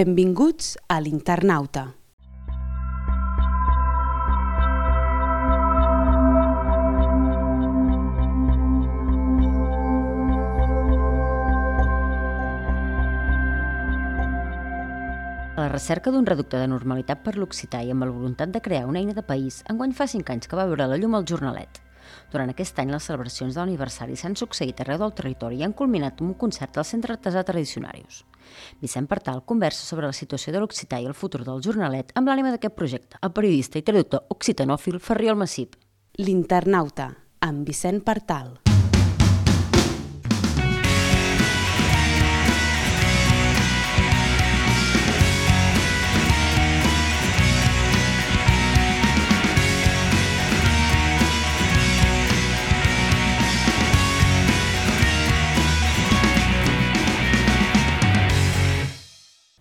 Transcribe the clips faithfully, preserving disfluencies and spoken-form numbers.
Benvinguts a l'Internauta. A la recerca d'un reducte de normalitat per l'occità i amb la voluntat de crear una eina de país, enguany fa cinc anys que va veure la llum al Jornalet. Durant aquest any, les celebracions de l'aniversari s'han succeït arreu del territori i han culminat amb un concert al Centre Artesà Tradicionarius. Vicent Partal conversa sobre la situació de l'occità i el futur del Jornalet amb l'ànima d'aquest projecte, el periodista i traductor occitanòfil Ferriol Massip. L'Internauta, amb Vicent Partal.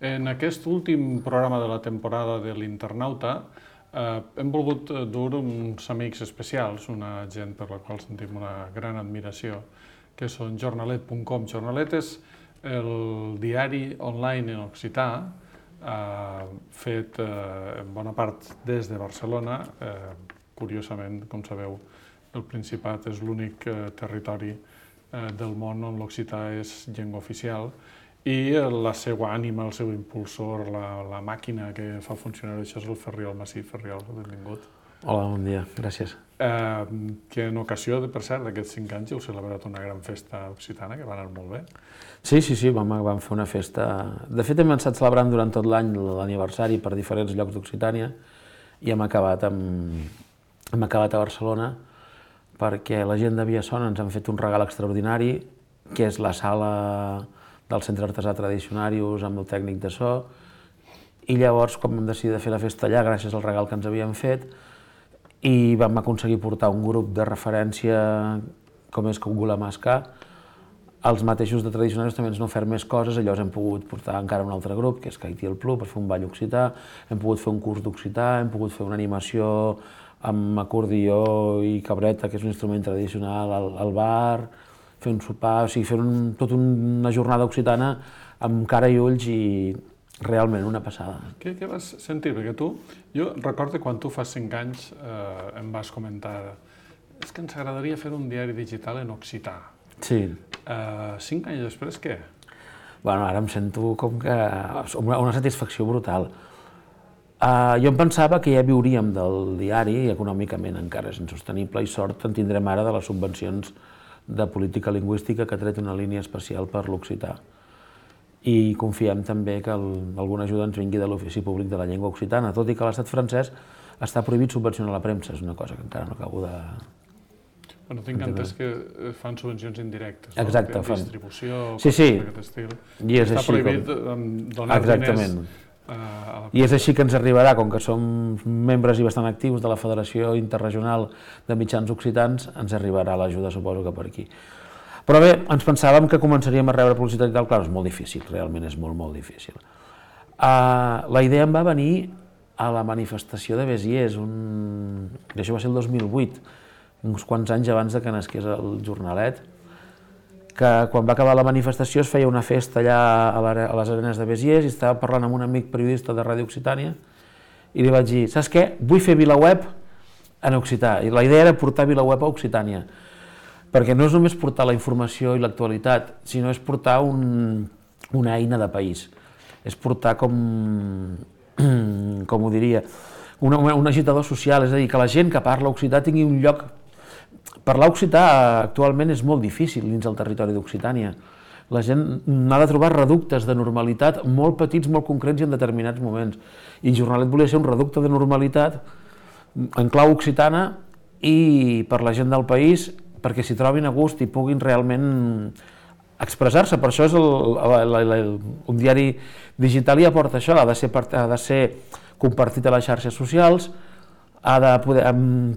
En aquest últim programa de la temporada de l'Internauta eh, hem volgut dur uns amics especials, una gent per la qual sentim una gran admiració, que són jornalet punt com. Jornalet és el diari online en occità, eh, fet eh, en bona part des de Barcelona. Eh, curiosament, com sabeu, el Principat és l'únic eh, territori eh, del món on l'occità és llengua oficial, i la seva ànima, el seu impulsor, la, la màquina que fa funcionar això és el Ferriol Massip. Ferriol, benvingut. Hola, bon dia, gràcies. Eh, que en ocasió, per cert, d'aquests cinc anys heu celebrat una gran festa occitana, que va anar molt bé. Sí, sí, sí, vam, vam fer una festa... De fet, hem estat celebrant durant tot l'any l'aniversari per diferents llocs d'Occitània i hem acabat, amb... hem acabat a Barcelona perquè la gent de Viassona ens han fet un regal extraordinari, que és la sala del Centre Artesà Tradicionarius amb el tècnic de so, i llavors, quan vam decidir de fer la festa allà, gràcies al regal que ens havien fet, i vam aconseguir portar un grup de referència com és Cogula Mascar, els mateixos de Tradicionarius també ens han ofert més coses, llavors hem pogut portar encara un altre grup, que és Caití el Plu, per fer un ball occità, hem pogut fer un curs d'occità, hem pogut fer una animació amb acordió i cabreta, que és un instrument tradicional, al, al bar, fer un sopar, o sigui, fer un, tot una jornada occitana amb cara i ulls i realment una passada. Què, què vas sentir? Perquè tu, jo recordo quan tu fa cinc anys eh, em vas comentar és que ens agradaria fer un diari digital en occità. Sí. Eh, cinc anys després, què? Bueno, ara em sento com que una, una satisfacció brutal. Uh, jo em pensava que ja viuríem del diari i econòmicament encara és insostenible i sort en tindrem ara de les subvencions de política lingüística que ha tret una línia especial per l'occità. I confiem també que el, alguna ajuda ens vingui de l'Ofici Públic de la Llengua Occitana, tot i que a l'estat francès està prohibit subvencionar la premsa, és una cosa que encara no acabo de... Bueno, tinc entès que fan subvencions indirectes, no? Exacte, fan... Distribució, sí, sí. D'aquest estil. I és està així prohibit com... donar Exactament. diners a la... I és així que ens arribarà, com que som membres i bastant actius de la Federació Interregional de Mitjans Occitans, ens arribarà l'ajuda, suposo que per aquí. Però bé, ens pensàvem que començaríem a rebre publicitat i tal, clar, és molt difícil, realment és molt, molt difícil. Uh, la idea em va venir a la manifestació de Béziers, un... i això va ser el dos mil vuit, uns quants anys abans de que nasqués el Jornalet, que quan va acabar la manifestació es feia una festa allà a les arenes de Béziers i estava parlant amb un amic periodista de Ràdio Occitània i li vaig dir, saps què? Vull fer VilaWeb en occità. I la idea era portar VilaWeb a Occitània, perquè no és només portar la informació i l'actualitat, sinó és portar un, una eina de país. És portar com, com ho diria, una, un agitador social, és a dir, que la gent que parla occità tingui un lloc. Parlar occità actualment és molt difícil dins del territori d'Occitània. La gent ha de trobar reductes de normalitat molt petits, molt concrets i en determinats moments. I Jornalet volia ser un reducte de normalitat en clau occitana i per la gent del país perquè s'hi trobin a gust i puguin realment expressar-se. Per això és el, el, el, el, un diari digital i aporta això, ha de ser, ha de ser compartit a les xarxes socials, ha de poder,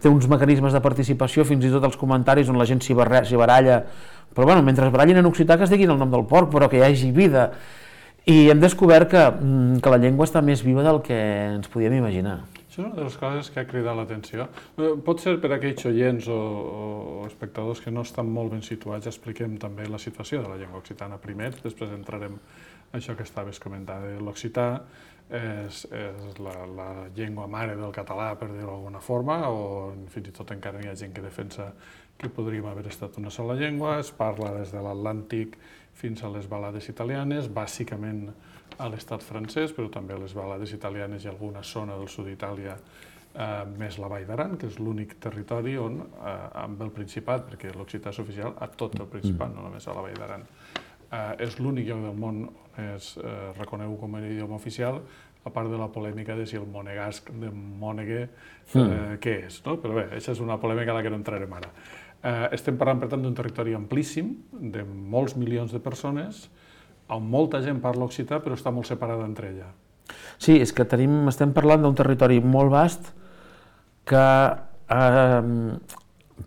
té uns mecanismes de participació, fins i tot els comentaris on la gent s'hi baralla, però bueno, mentre es barallin en occità que es diguin el nom del porc, però que hi hagi vida. I hem descobert que, que la llengua està més viva del que ens podíem imaginar. Això és una de les coses que ha cridat l'atenció. Pot ser per aquells oients o, o espectadors que no estan molt ben situats, expliquem també la situació de la llengua occitana primer, després entrarem en això que estaves comentant. L'occità és, és la, la llengua mare del català, per dir-ho d'alguna forma, o fins i tot encara hi ha gent que defensa que podríem haver estat una sola llengua. Es parla des de l'Atlàntic fins a les balades italianes, bàsicament a l'estat francès, però també a les balades italianes i alguna zona del sud d'Itàlia, eh, més la Vall d'Aran, que és l'únic territori on, eh, amb el Principat, perquè l'occità és oficial a tot el Principat, no només a la Vall d'Aran, eh, és l'únic lloc del món on és eh, reconegut com a idioma oficial, a part de la polèmica de si el monegasc de Mònegue, eh, mm. què és, no? Però bé, això és una polèmica a la que no entrarem ara. Eh, estem parlant, per tant, d'un territori amplíssim, de molts milions de persones, on molta gent parla occità, però està molt separada entre ella. Sí, és que tenim, estem parlant d'un territori molt vast que eh,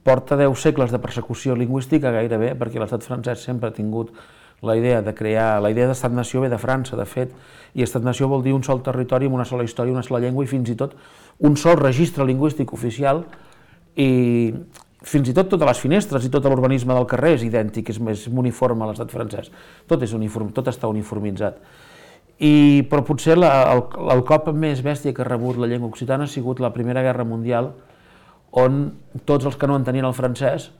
porta deu segles de persecució lingüística gairebé, perquè l'estat francès sempre ha tingut la idea de crear, la idea d'estat-nació ve de França, de fet, i estat-nació vol dir un sol territori amb una sola història, una sola llengua i fins i tot un sol registre lingüístic oficial, i fins i tot totes les finestres i tot l'urbanisme del carrer és idèntic, és més uniforme a l'estat francès. Tot, és uniform, tot està uniformitzat. I, però potser la, el, el cop més bèstia que ha rebut la llengua occitana ha sigut la Primera Guerra Mundial, on tots els que no entenien el francès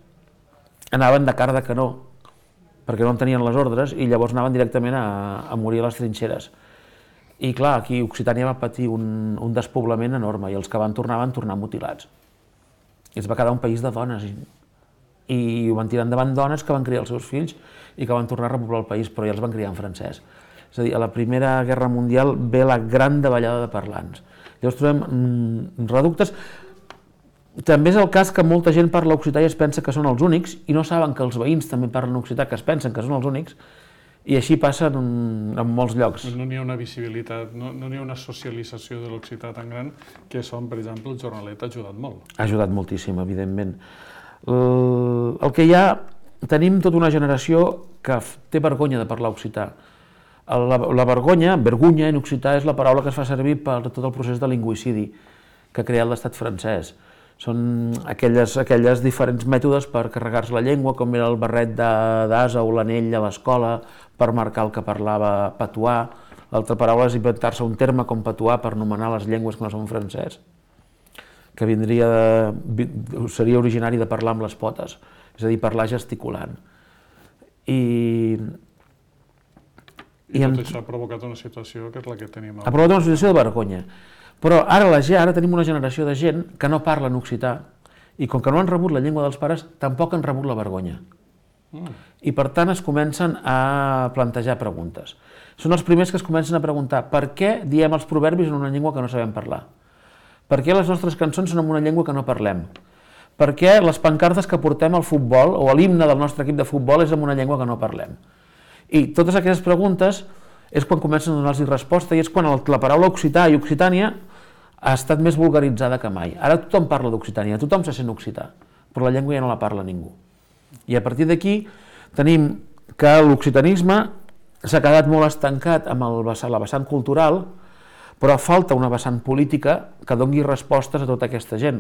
anaven de cara de canó, perquè no entenien les ordres, i llavors anaven directament a, a morir a les trinxeres. I clar, aquí Occitània va patir un, un despoblament enorme, i els que van tornar van tornar mutilats. I es va quedar un país de dones, i, i ho van tirar endavant dones que van criar els seus fills i que van tornar a repoblar el país, però ja els van criar en francès. És a dir, a la Primera Guerra Mundial ve la gran davallada de parlants. Llavors trobem mm, reductes. També és el cas que molta gent parla occità i es pensa que són els únics, i no saben que els veïns també parlen occità, que es pensen que són els únics, i així passa en, en molts llocs. No n'hi ha una visibilitat, no n'hi ha una socialització de l'occità tan gran que són, per exemple, el jornalet ha ajudat molt. Ha ajudat moltíssim, evidentment. El, el que hi ha, tenim tota una generació que té vergonya de parlar occità. La, la vergonya, vergonya en occità, és la paraula que es fa servir per tot el procés de lingüicidi que ha creat l'estat francès. Són aquelles, aquelles diferents mètodes per carregar-se la llengua, com era el barret d'ase o l'anell a l'escola per marcar el que parlava patuà. L'altra paraula és inventar-se un terme com patuà per anomenar les llengües que no són francès, que vindria de, seria originari de parlar amb les potes, és a dir, parlar gesticulant. I, I tot això ha provocat una situació que és la que tenim. Ha provocat una situació de vergonya. Però ara, la, ara tenim una generació de gent que no parla en occità i com que no han rebut la llengua dels pares, tampoc han rebut la vergonya. Mm. I per tant es comencen a plantejar preguntes. Són els primers que es comencen a preguntar per què diem els proverbis en una llengua que no sabem parlar? Per què les nostres cançons són en una llengua que no parlem? Per què les pancartes que portem al futbol o a l'himne del nostre equip de futbol és en una llengua que no parlem? I totes aquestes preguntes és quan comencen a donar-los resposta i és quan la paraula occità i occitània ha estat més vulgaritzada que mai. Ara tothom parla d'Occitània, tothom se sent occità, però la llengua ja no la parla ningú. I a partir d'aquí tenim que l'occitanisme s'ha quedat molt estancat amb el vessant, la vessant cultural, però falta una vessant política que doni respostes a tota aquesta gent.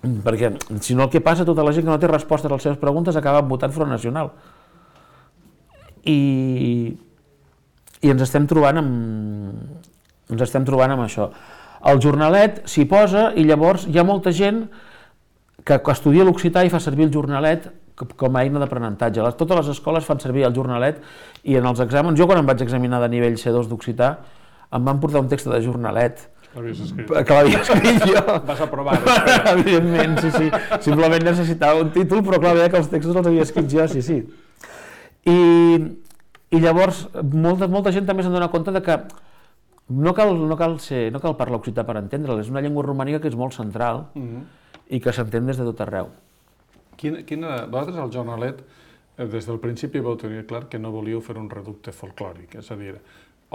Perquè si no el que passa, tota la gent que no té respostes a les seves preguntes acaba votant Front Nacional. I... i ens estem trobant amb, ens estem trobant amb això. El jornalet s'hi posa i llavors hi ha molta gent que estudia l'occità i fa servir el jornalet com a eina d'aprenentatge. Totes les escoles fan servir el jornalet i en els exàmens, jo quan em vaig examinar de nivell C dos d'occità, em van portar un text de jornalet. L'havies escrit? Que l'havia escrit jo. Vas aprovar. Evidentment, sí, sí. Simplement necessitava un títol, però clar, veia que els textos els havia escrit jo, sí, sí. I... I llavors, molta, molta gent també s'han donat compte de que no cal, no cal, ser, no cal parlar occità per entendre'l, és una llengua romànica que és molt central mm-hmm. i que s'entén des de tot arreu. Quina, quina, vosaltres al jornalet, des del principi vau tenir clar que no volíeu fer un reducte folclòric, és a dir,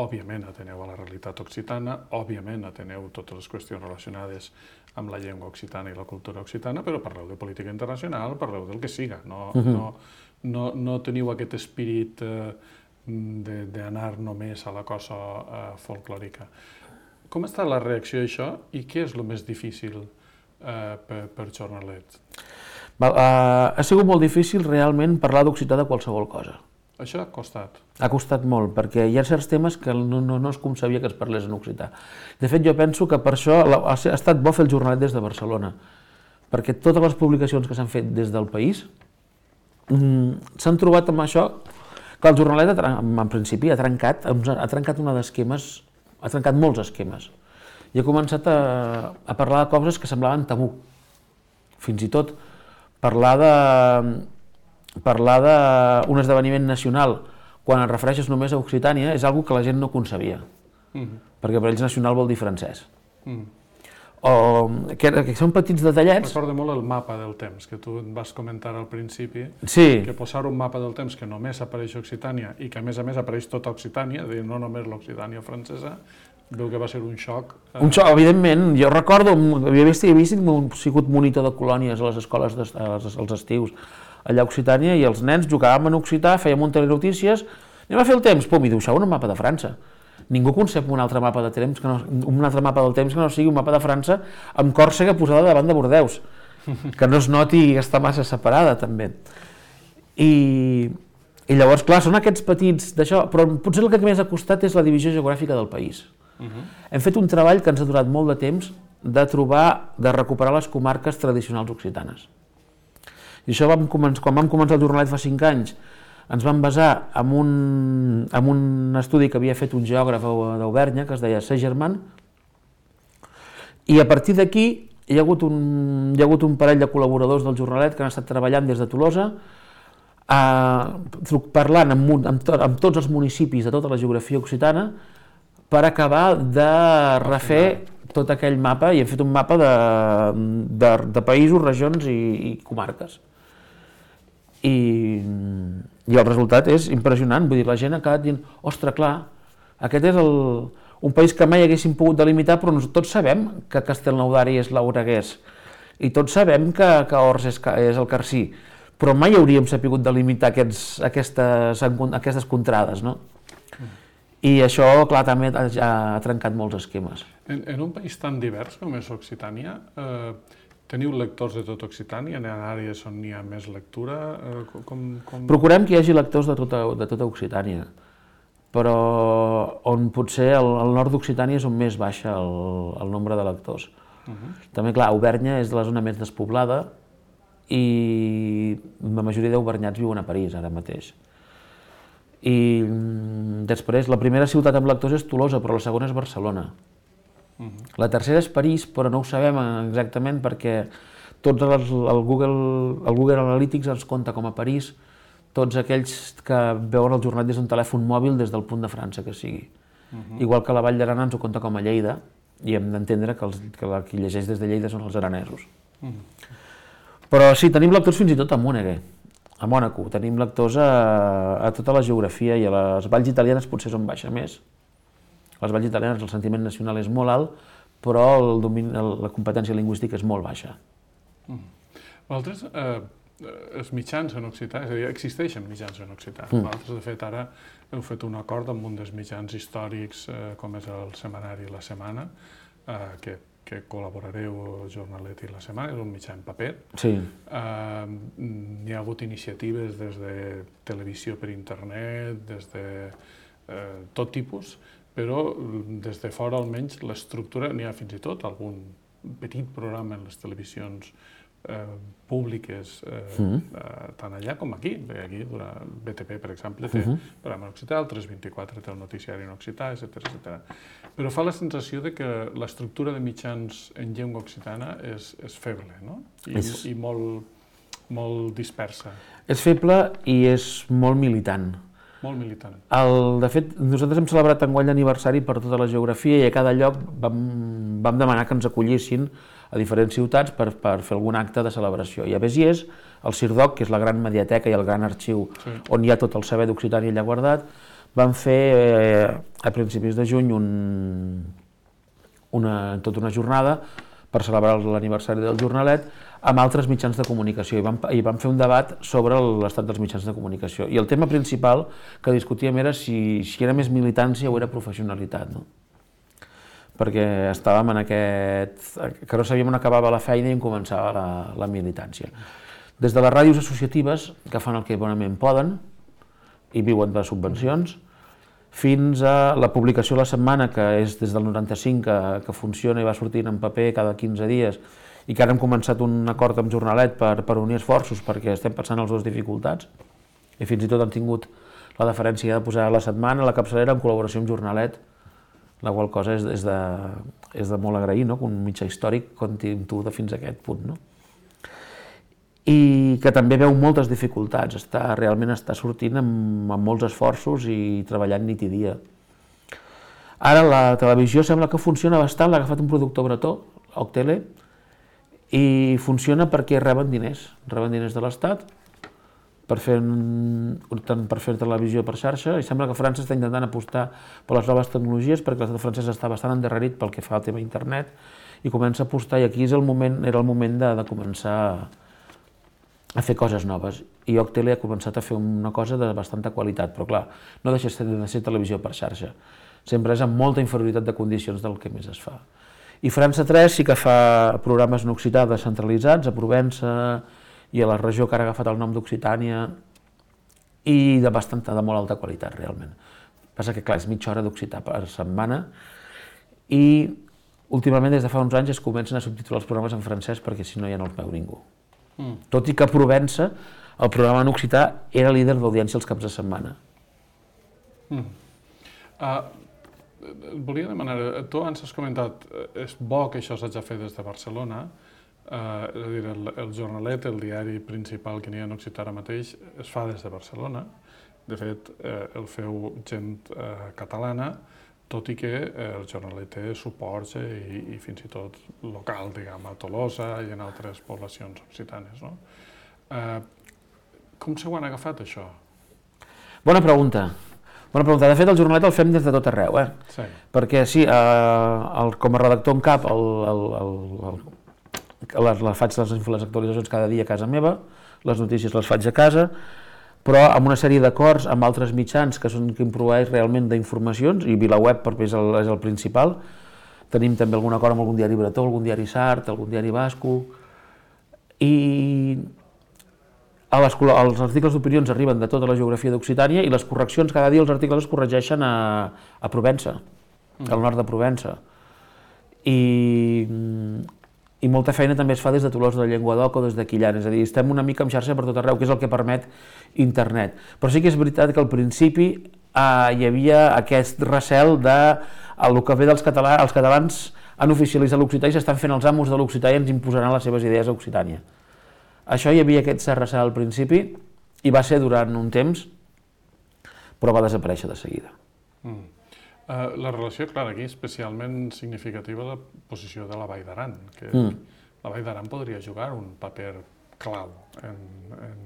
òbviament ateneu a la realitat occitana, òbviament ateneu totes les qüestions relacionades amb la llengua occitana i la cultura occitana, però parleu de política internacional, parleu del que siga, no, mm-hmm. no, no, no teniu aquest espírit eh, d'anar només a la cosa uh, folclòrica. Com està la reacció a això i què és el més difícil eh, per, per Jornalet? Val, uh, ha sigut molt difícil realment parlar d'occità de qualsevol cosa. Això ha costat? Ha costat molt, perquè hi ha certs temes que no, no, no es concebia que es parlés en occità. De fet, jo penso que per això ha estat bo fer el Jornalet des de Barcelona, perquè totes les publicacions que s'han fet des del país mm, s'han trobat amb això, que el Jornalet, en principi, ha trencat, ha trencat una d'esquemes, ha trencat molts esquemes, i ha començat a, a parlar de coses que semblaven tabú. Fins i tot parlar de parlar d'un esdeveniment nacional quan et refereixes només a Occitània és una cosa que la gent no concebia, mm-hmm. perquè per ells nacional vol dir francès. Mm. O que, que són petits detallets. Recorda molt el mapa del temps, que tu vas comentar al principi, sí. que posar un mapa del temps que només apareix Occitània i que a més a més apareix tota Occitània, és a dir, no només l'Occitània francesa, veu que va ser un xoc. Eh... Un xoc, evidentment. Jo recordo, havia vist, havia vist, havia sigut monitor de colònies a les escoles des, als, als estius allà a Occitània, i els nens jugàvem en occità, fèiem un telenotícies, anem a fer el temps, pum, i dibuixaven un mapa de França. Ningú concep un altre mapa de temps que no, un altre mapa del temps que no sigui un mapa de França amb Còrsega posada davant de Bordeus, que no es noti que està massa separada també. I, i llavors, clar, són aquests petits d'això, però potser el que més ha costat és la divisió geogràfica del país. Uh-huh. Hem fet un treball que ens ha durat molt de temps de trobar, de recuperar les comarques tradicionals occitanes. I això vam començar, quan vam començar el Jornalet fa cinc anys, ens vam basar en un, en un estudi que havia fet un geògraf d'Auvergne, que es deia Segerman, i a partir d'aquí hi ha hagut un, hi ha hagut un parell de col·laboradors del Jornalet que han estat treballant des de Tolosa, eh, parlant amb, amb, to, amb tots els municipis de tota la geografia occitana per acabar de refer tot aquell mapa, i hem fet un mapa de, de, de països, regions i, i comarques. I, i el resultat és impressionant, vull dir, la gent ha acabat dient, ostres, clar, aquest és el, un país que mai haguéssim pogut delimitar, però tots sabem que Castelnaudari és l'Oreguès, i tots sabem que, que Ors és, és el Carcí, però mai hauríem sapigut delimitar aquests, aquestes, aquestes contrades, no? Mm. I això, clar, també ha, ha trencat molts esquemes. En, en un país tan divers com és Occitània, eh, teniu lectors de tot Occitània? Hi ha àrees on hi ha més lectura? Eh, com, com... Procurem que hi hagi lectors de tota, de tota Occitània, però on potser el, el nord d'Occitània és on més baixa el, el nombre de lectors. Uh-huh. També, clar, Auvergne és de la zona més despoblada i la majoria d'auvergnats viuen a París ara mateix. I després, la primera ciutat amb lectors és Tolosa, però la segona és Barcelona. Uh-huh. La tercera és París, però no ho sabem exactament perquè tots els, el, Google, el Google Analytics ens compta com a París tots aquells que veuen el Jornalet des d'un telèfon mòbil des del punt de França que sigui. Uh-huh. Igual que la Vall d'Aran ens ho compta com a Lleida, i hem d'entendre que, els, que la, qui llegeix des de Lleida són els aranesos. Uh-huh. Però sí, tenim lectors fins i tot a Mònegue, a Mònaco, tenim lectors a, a tota la geografia, i a les valls italianes potser són baixa més. A les valls italianes el sentiment nacional és molt alt, però el domini, el, la competència lingüística és molt baixa. Mm. Vosaltres, eh, els mitjans en occità, és a dir, existeixen mitjans en occità. Mm. Vosaltres, de fet, ara heu fet un acord amb un dels mitjans històrics, eh, com és el setmanari La Setmana, eh, que, que col·laborareu Jornalet i La Setmana, és un mitjà en paper. Sí. Eh, hi ha hagut iniciatives des de televisió per internet, des de eh, tot tipus, però des de fora almenys l'estructura, n'hi ha fins i tot algun petit programa en les televisions eh, públiques, eh, mm. eh, tant allà com aquí. Aquí, B T P, per exemple, té uh-huh. programa en occità, el tres vint-i-quatre té el noticiari en occità, etcètera, etcètera. Però fa la sensació de que l'estructura de mitjans en llengua occitana és, és feble, no? I, és... i molt, molt dispersa. És feble i és molt militant. Molt militant. El, de fet, nosaltres hem celebrat enguany l'aniversari per tota la geografia, i a cada lloc vam, vam demanar que ens acollissin a diferents ciutats per, per fer algun acte de celebració. I a Béziers, el Cirdoc, que és la gran mediateca i el gran arxiu sí. on hi ha tot el saber d'Occitània allà guardat, vam fer eh, a principis de juny un, una, tota una jornada per celebrar l'aniversari del Jornalet amb altres mitjans de comunicació, i vam, i vam fer un debat sobre l'estat dels mitjans de comunicació. I el tema principal que discutíem era si, si era més militància o era professionalitat, no? perquè estàvem en aquest... que no sabíem on acabava la feina i on començava la, la militància. Des de les ràdios associatives, que fan el que bonament poden i viuen de subvencions, fins a la publicació de la setmana, que és des del noranta-cinc que, que funciona i va sortint en paper cada quinze dies, i que ara hem començat un acord amb Jornalet per, per unir esforços, perquè estem passant les dues dificultats, i fins i tot han tingut la deferència de posar la setmana, la capçalera, en col·laboració amb Jornalet, la qual cosa és, és, de, és de molt agrair, no? Que un mitjà històric compti amb tu de fins a aquest punt, no? I que també veu moltes dificultats, està, realment està sortint amb, amb molts esforços i treballant nit i dia. Ara la televisió sembla que funciona bastant, l'ha agafat un productor bretó, Octele, i funciona perquè reben diners, reben diners de l'Estat per fer, per fer televisió per xarxa, i sembla que França està intentant apostar per les noves tecnologies perquè l'estat francès està bastant endarrerit pel que fa al tema internet i comença a apostar, i aquí és el moment, era el moment de, de començar a fer coses noves, i Octele ha començat a fer una cosa de bastanta qualitat, però clar, no deixa de ser televisió per xarxa, sempre és amb molta inferioritat de condicions del que més es fa. I França tres sí que fa programes en occità descentralitzats, a Provença i a la regió que ara ha agafat el nom d'Occitània, i de bastanta, de molt alta qualitat, realment. Passa que, clar, és mitja hora d'occità per setmana, i últimament, des de fa uns anys, es comencen a subtitular els programes en francès perquè si no ja no els veu ningú. Mm. Tot i que a Provença, el programa en occità era líder d'audiència els caps de setmana. Mm. Uh, volia demanar, tu abans has comentat, és bo que això s'hagi fet des de Barcelona, uh, és a dir, el, el Jornalet, el diari principal que n'hi ha en occità ara mateix, es fa des de Barcelona. De fet, eh, el feu gent eh, catalana, tot i que el Jornalet té suports i, i fins i tot local, diguem, a Tolosa i en altres poblacions occitanes, no? Eh, com s'ho han agafat, això? Bona pregunta. Bona pregunta. De fet, el Jornalet el fem des de tot arreu, eh? Sí. Perquè, sí, eh, el, com a redactor en cap, el, el, el, el, les, les faig les, les actualitzacions cada dia a casa meva, les notícies les faig a casa, però amb una sèrie d'acords amb altres mitjans que són que improveeix realment d'informacions, i VilaWeb és el, és el principal. Tenim també algun acord amb algun diari bretó, algun diari sard, algun diari basco, i a les, els articles d'opinions arriben de tota la geografia d'Occitània i les correccions, cada dia els articles es corregeixen a, a Provença, mm. al nord de Provença. I... i molta feina també es fa des de Tolosa de Llenguadoc o des de Quillan, és a dir, estem una mica en xarxa per tot arreu, que és el que permet internet. Però sí que és veritat que al principi eh, hi havia aquest recel de el que ve dels catalans, els catalans han oficialitzat l'occità i s'estan fent els amos de l'occità i ens imposaran les seves idees a Occitània. Això hi havia aquest recel al principi i va ser durant un temps, però va desaparèixer de seguida. Mm. Uh, la relació, clar, aquí especialment significativa la posició de la Vall d'Aran, que mm. la Vall d'Aran podria jugar un paper clau en, en,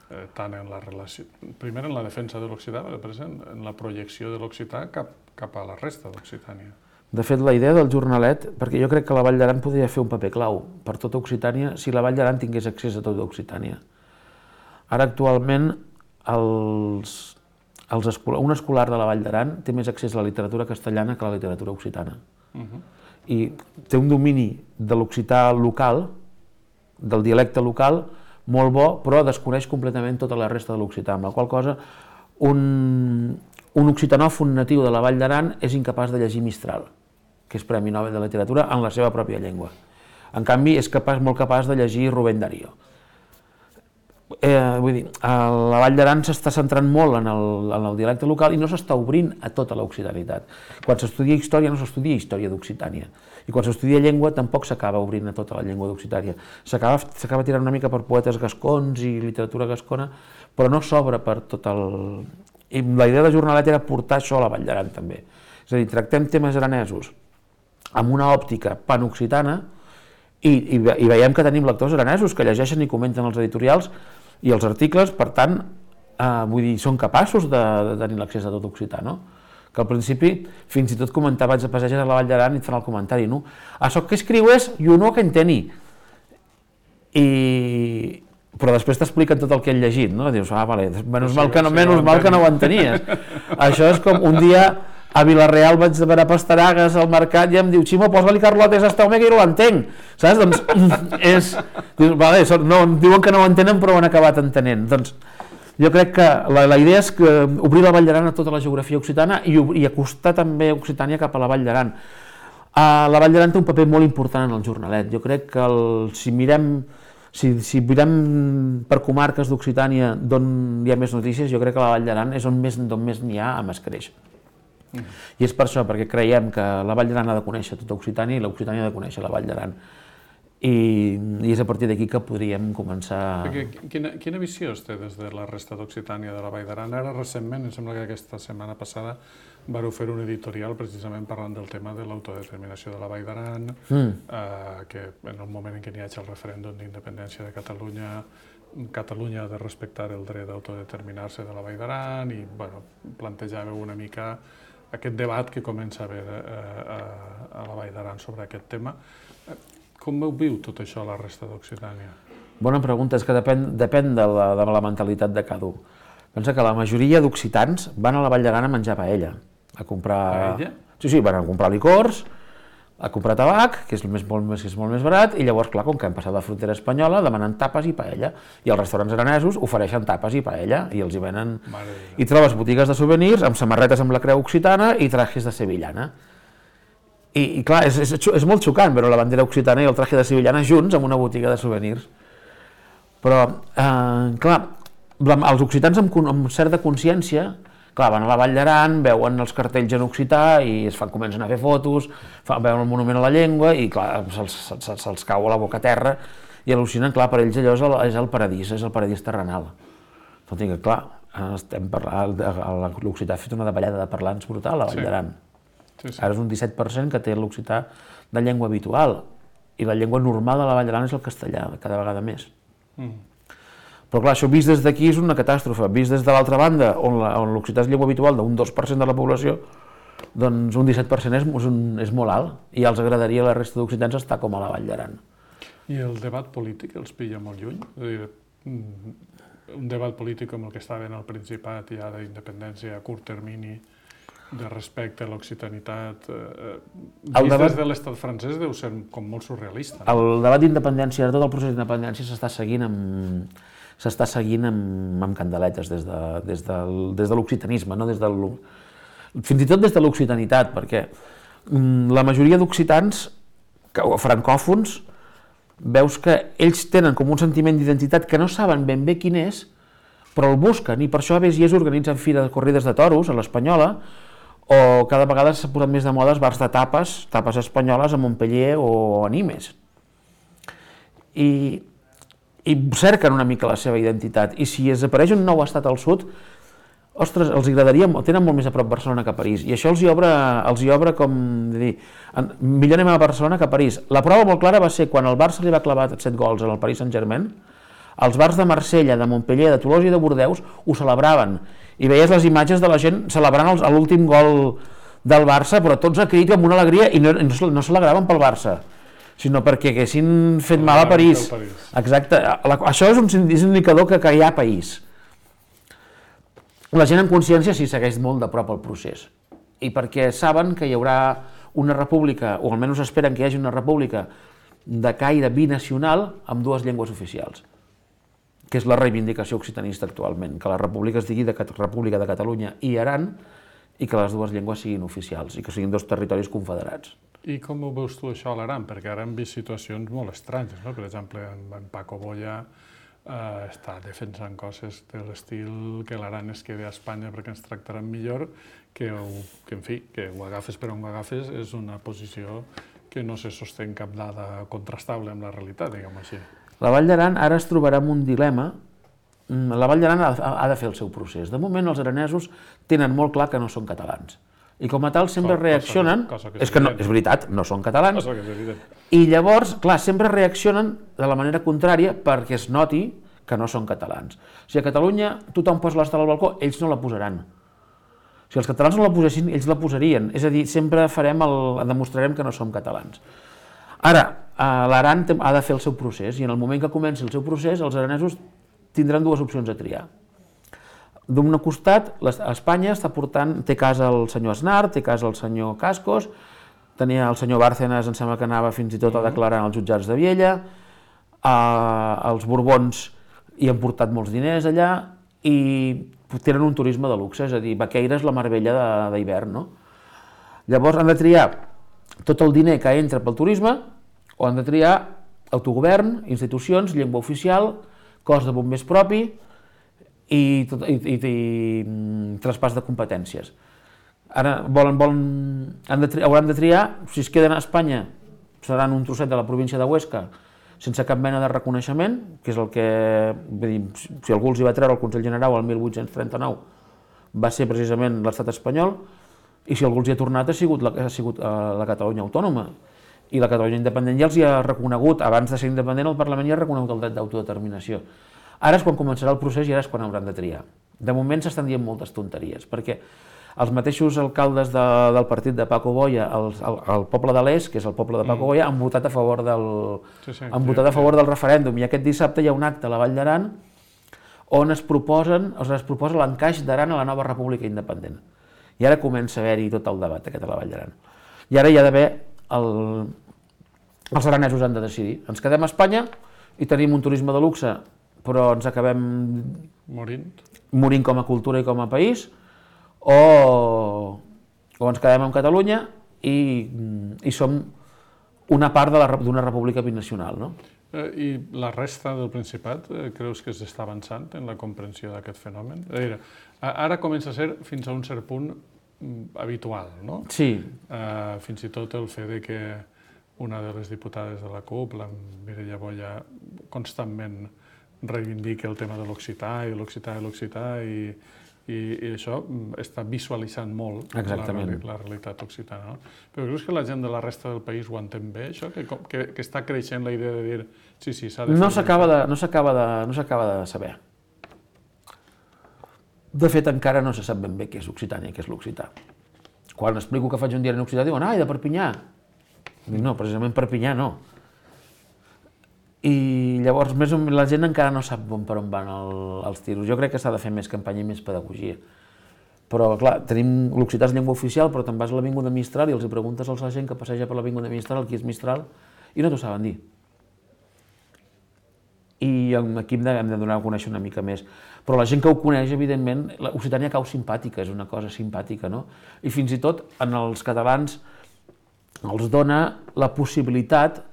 eh, tant en la relació, primer en la defensa de l'occità, però després en, en la projecció de l'occità cap, cap a la resta d'Occitània. De fet, la idea del Jornalet, perquè jo crec que la Vall d'Aran podria fer un paper clau per tota Occitània si la Vall d'Aran tingués accés a tota Occitània. Ara, actualment, els... Els escolar, un escolar de la Vall d'Aran té més accés a la literatura castellana que a la literatura occitana. Uh-huh. I té un domini de l'occità local, del dialecte local, molt bo, però desconeix completament tota la resta de l'occità, amb la qual cosa un, un occitanòfon natiu de la Vall d'Aran és incapaç de llegir Mistral, que és Premi Nobel de Literatura, en la seva pròpia llengua. En canvi, és capaç, molt capaç de llegir Rubén Darío. Eh, vull dir, la Vall d'Aran s'està centrant molt en el, en el dialecte local i no s'està obrint a tota l'occitanitat. Quan s'estudia història no s'estudia història d'Occitània i quan s'estudia llengua tampoc s'acaba obrint a tota la llengua d'Occitània. S'acaba tirant una mica per poetes gascons i literatura gascona, però no s'obre per tot el... I la idea de Jornalet era portar això a la Vall d'Aran també. És a dir, tractem temes aranesos amb una òptica panoccitana i, i, i veiem que tenim lectors aranesos que llegeixen i comenten els editorials i els articles, per tant, eh, vull dir, són capaços de, de tenir l'accés a tot occità, no? Que al principi, fins i tot comentava, vaig a passejar a la Vall d'Aran i et fan el comentari, no? Això que escriues, jo no que enteni. I... Però després t'expliquen tot el que he llegit, no? Dius, ah, vale, menys mal que no, menys mal que no ho entenies. Això és com un dia a Vilareal vaig a veure pastanagues al mercat i em diu, Ximo, posa-li carlotes a esta home que jo no l'entenc, saps? Doncs és... Vale, no, diuen que no ho entenen però ho han acabat entenent. Doncs jo crec que la, la idea és que obrir la Vall d'Aran a tota la geografia occitana i, i acostar també Occitània cap a la Vall d'Aran. Uh, la Vall d'Aran té un paper molt important en el jornalet. Jo crec que el, si mirem si, si mirem per comarques d'Occitània d'on hi ha més notícies, jo crec que la Vall d'Aran és on més d'on més n'hi ha a Mascreix. Mm. I és per això, perquè creiem que la Vall d'Aran ha de conèixer tota Occitània i l'Occitània ha de conèixer la Vall d'Aran. I, I és a partir d'aquí que podríem començar... Perquè, quina, quina visió es té des de la resta d'Occitània de la Vall d'Aran? Ara, recentment, em sembla que aquesta setmana passada vareu fer un editorial precisament parlant del tema de l'autodeterminació de la Vall d'Aran, mm. eh, que en el moment en què n'hi hagi el referèndum d'independència de Catalunya, Catalunya ha de respectar el dret d'autodeterminar-se de la Vall d'Aran i bueno, plantejàveu una mica aquest debat que comença a haver eh, a, a la Vall d'Aran sobre aquest tema. Com ho viu tot això a la resta d'Occitània? Bona pregunta, és que depèn, depèn de, la, de la mentalitat de cada un. Pensa que la majoria d'occitans van a la Vall d'Aran a menjar paella, a comprar... Paella? Sí, sí, van a comprar licors, a comprar tabac, que és, més, molt, més, que és molt més barat, i llavors, clar, com que han passat la frontera espanyola, demanen tapes i paella. I els restaurants aranesos ofereixen tapes i paella, i els hi venen... I trobes botigues de souvenirs amb samarretes amb la creu occitana i trajes de sevillana. I, i clar, és, és, és molt xocant veure la bandera occitana i el traje de sevillana junts en una botiga de souvenirs. Però, eh, clar, els occitans amb, amb certa consciència, clar, van a la Vall d'Aran, veuen els cartells en occità i es fan, comencen a fer fotos, fan, veuen el monument a la llengua i clar, se'ls se, se, se cau a la boca a terra i al·lucinen, clar, per ells allò és el, és el paradís, és el paradís terrenal. Tot i que, clar, estem parlant, l'occità ha fet una davallada de parlants brutal a la Vall d'Aran. Sí, sí. Ara és un disset per cent que té l'occità de llengua habitual i la llengua normal de la Vall d'Aran és el castellà, cada vegada més. Mm. Però clar, això vist des d'aquí és una catàstrofe, vist des de l'altra banda, on l'occità és llengua habitual d'un dos per cent de la població, doncs un disset per cent és, és, un, és molt alt i els agradaria a la resta d'occitans estar com a la Vall d'Aran. I el debat polític els pilla molt lluny? És a dir, un debat polític com el que estava en el Principat ja d'independència a curt termini, de respecte a l'occitanitat, eh, vist debat... des de l'estat francès deu ser com molt surrealista. No? El debat d'independència, tot el procés d'independència s'està seguint amb s'està seguint amb, amb candeletes des de, des del, des de l'occitanisme, no? Des del, fins i tot des de l'occitanitat, perquè la majoria d'occitans francòfons veus que ells tenen com un sentiment d'identitat que no saben ben bé quin és, però el busquen, i per això a vegades es organitzen fires de corrides de toros a l'Espanyola, o cada vegada s'ha posat més de moda els bars de tapes, tapes espanyoles a Montpellier o a Nimes. I, i cerquen una mica la seva identitat, i si desapareix un nou estat al sud, ostres, els agradaria, tenen molt més a prop Barcelona que París, i això els hi obre, els hi obre com dir, millor anem a Barcelona que a París. La prova molt clara va ser quan el Barça li va clavar set gols al Paris Saint-Germain, els bars de Marsella, de Montpellier, de Tolosa i de Bordeus ho celebraven, i veies les imatges de la gent celebrant l'últim gol del Barça, però tots a crit amb una alegria, i no, no, no celebraven pel Barça, sinó perquè haguessin fet mal a París. Exacte, això és un, és un indicador que, que hi ha país. La gent en consciència sí segueix molt de prop el procés, i perquè saben que hi haurà una república, o almenys esperen que hi hagi una república de caire binacional amb dues llengües oficials, que és la reivindicació occitanista actualment, que la república es digui de República de Catalunya i Aran i que les dues llengües siguin oficials i que siguin dos territoris confederats. I com ho veus tu això a l'Aran? Perquè ara hem vist situacions molt estranyes, no? Per exemple, en Paco Boya eh, està defensant coses de l'estil que l'Aran es quedi a Espanya perquè ens tractaran millor, que, ho, que en fi, que ho agafes per on ho agafes és una posició que no se sosté en cap dada contrastable amb la realitat, diguem-ho així. La Vall d'Aran ara es trobarà amb un dilema. La Vall d'Aran ha de fer el seu procés. De moment els aranesos tenen molt clar que no són catalans. I com a tal sempre reaccionen... És que no, és veritat, no són catalans. I llavors, clar, sempre reaccionen de la manera contrària perquè es noti que no són catalans. Si a Catalunya tothom posa l'estela al balcó, ells no la posaran. Si els catalans no la posessin, ells la posarien. És a dir, sempre farem el, demostrarem que no som catalans. Ara, l'Aran ha de fer el seu procés, i en el moment que comenci el seu procés, els aranesos tindran dues opcions a triar. d'un costat, a Espanya està portant, té casa el senyor Aznar, té casa el senyor Cascos, tenia el senyor Bárcenas, em sembla que anava fins i tot a declarar als jutjats de Viella, els Borbons hi han portat molts diners allà i tenen un turisme de luxe, és a dir, Baqueira és la Marbella d'hivern, no? Llavors han de triar tot el diner que entra pel turisme o han de triar autogovern, institucions, llengua oficial, cos de bombers propi i, tot, i, i, i traspàs de competències. Ara volen, volen, han de triar, hauran de triar, si es queden a Espanya, seran un trosset de la província de Huesca, sense cap mena de reconeixement, que és el que, dir, si algú els hi va treure el Consell General el mil vuit-cents trenta-nou, va ser precisament l'estat espanyol, i si algú els hi ha tornat ha sigut la, ha sigut la Catalunya autònoma. I la Catalunya independent ja els hi ha reconegut, abans de ser independent el Parlament ja ha reconegut el dret d'autodeterminació. Ara és quan començarà el procés i ara és quan hauran de triar. De moment s'estan dient moltes tonteries, perquè els mateixos alcaldes de, del partit de Paco Boya, el, el, el poble de l'Est, que és el poble de Paco Boya, han votat a favor del, sí, sí, han votat a favor del referèndum, i aquest dissabte hi ha un acte a la Vall d'Aran on es proposen, es proposa l'encaix d'Aran a la nova república independent. I ara comença a haver-hi tot el debat aquest a la Vall d'Aran. I ara hi ha d'haver, el, els aranesos han de decidir. Ens quedem a Espanya i tenim un turisme de luxe, però ens acabem morint, morint com a cultura i com a país, o, o ens quedem en Catalunya i, i som una part d'una república binacional, no? Eh, I la resta del Principat, eh, creus que s'està avançant en la comprensió d'aquest fenomen? Dir, ara comença a ser fins a un cert punt habitual, no? Sí. Eh, fins i tot el fet de que una de les diputades de la CUP, la Mireia Boya, constantment reivindica el tema de l'occità i l'occità i l'occità i I, i això està visualitzant molt la, la realitat occitana. No? Però creus que la gent de la resta del país ho entén bé, això? Que, que, que està creixent la idea de dir sí, sí, s'ha de fer... No s'acaba de, no s'acaba de, no s'acaba de saber. De fet, encara no se sap ben bé què és Occitània, què és l'occità. Quan explico que faig un diari en occità, diuen, ai, de Perpinyà. Dic, no, precisament Perpinyà no. I llavors més o menys la gent encara no sap per on van el, els tiros. Jo crec que s'ha de fer més campanya i més pedagogia. Però, clar, tenim l'occità és llengua oficial, però te'n vas a l'Avinguda Mistral i els hi preguntes a la gent que passeja per l'Avinguda Mistral qui és Mistral i no t'ho saben dir. I aquí hem de, hem de donar a conèixer una mica més. Però la gent que ho coneix, evidentment, l'Occitània cau simpàtica, és una cosa simpàtica, no? I fins i tot en els catalans els dona la possibilitat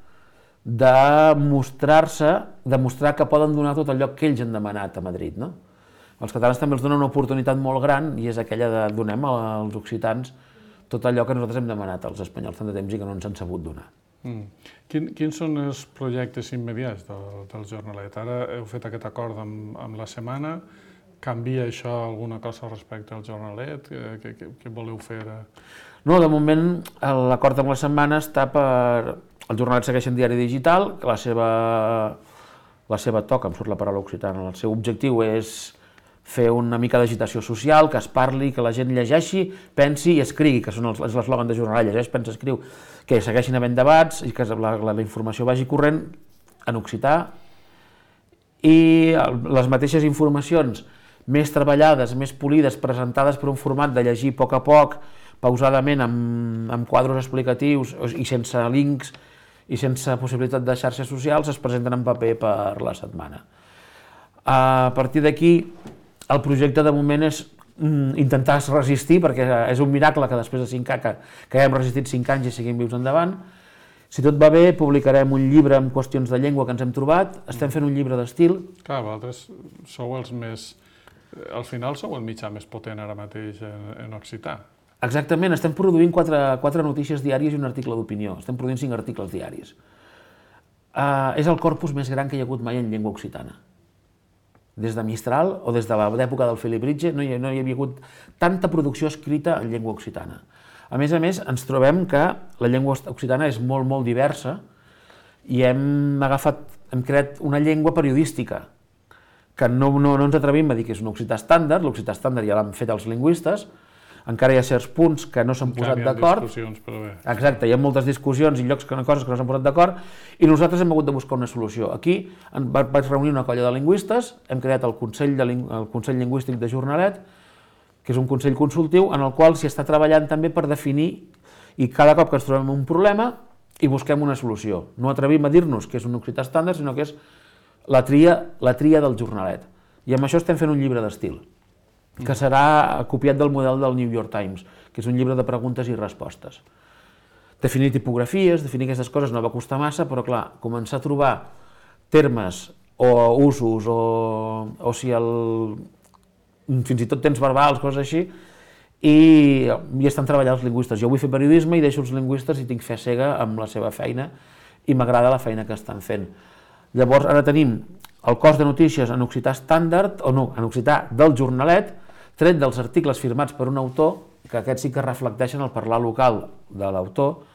de mostrar-se, de mostrar que poden donar tot allò que ells han demanat a Madrid, no? Els catalans també els donen una oportunitat molt gran i és aquella de donem als occitans tot allò que nosaltres hem demanat als espanyols tant de temps i que no ens han sabut donar. Mm. Quin, quins són els projectes immediats del, del Jornalet? Ara heu fet aquest acord amb, amb la setmana, canvia això alguna cosa respecte al Jornalet? Què, què, què voleu fer? No, de moment l'acord amb la setmana està per... El Jornalet segueix en diari digital, que la seva, la seva toca, em surt la paraula occitana, el seu objectiu és fer una mica d'agitació social, que es parli, que la gent llegeixi, pensi i escrigui, que són els, és l'eslògan de Jornalet, llegeix, pensa, escriu, que segueixin havent debats i que la, la, la informació vagi corrent en occità i les mateixes informacions més treballades, més polides, presentades per un format de llegir a poc a poc, pausadament, amb, amb quadros explicatius i sense links i sense possibilitat de xarxes socials, es presenten en paper per la setmana. A partir d'aquí, el projecte de moment és intentar resistir, perquè és un miracle que després de cinc anys, que, que hem resistit cinc anys i seguim vius endavant. Si tot va bé, publicarem un llibre amb qüestions de llengua que ens hem trobat, estem fent un llibre d'estil. Clar, vosaltres sou els més... Al final sou el mitjà més potent ara mateix en, en occità. Exactament, estem produint quatre, quatre notícies diàries i un article d'opinió. Estem produint cinc articles diaris. Uh, és el corpus més gran que hi ha hagut mai en llengua occitana. Des de Mistral o des de l'època del Felibritge no hi, no hi havia hagut tanta producció escrita en llengua occitana. A més a més, ens trobem que la llengua occitana és molt, molt diversa i hem agafat, hem creat una llengua periodística que no, no, no ens atrevim a dir que és un occità estàndard, l'occità estàndard ja l'han fet els lingüistes, encara hi ha certs punts que no s'han posat d'acord. Encara hi ha discussions, però bé. Exacte, hi ha moltes discussions i llocs que coses que no s'han posat d'acord i nosaltres hem hagut de buscar una solució. Aquí vaig reunir una colla de lingüistes, hem creat el Consell, de, el Consell Lingüístic de Jornalet, que és un consell consultiu en el qual s'hi està treballant també per definir i cada cop que ens trobem un problema i busquem una solució. No atrevim a dir-nos que és un occità estàndard, sinó que és la tria, la tria del jornalet. I amb això estem fent un llibre d'estil, que serà copiat del model del New York Times, que és un llibre de preguntes i respostes. Definir tipografies, definir aquestes coses no va costar massa, però clar, començar a trobar termes o usos o, o si el, fins i tot temps verbals, coses així, i, i estan treballant els lingüistes. Jo vull fer periodisme i deixo els lingüistes i tinc fe cega amb la seva feina i m'agrada la feina que estan fent. Llavors ara tenim el cos de notícies en occità estàndard, o no, en occità del jornalet, tret dels articles firmats per un autor, que aquests sí que reflecteixen el parlar local de l'autor,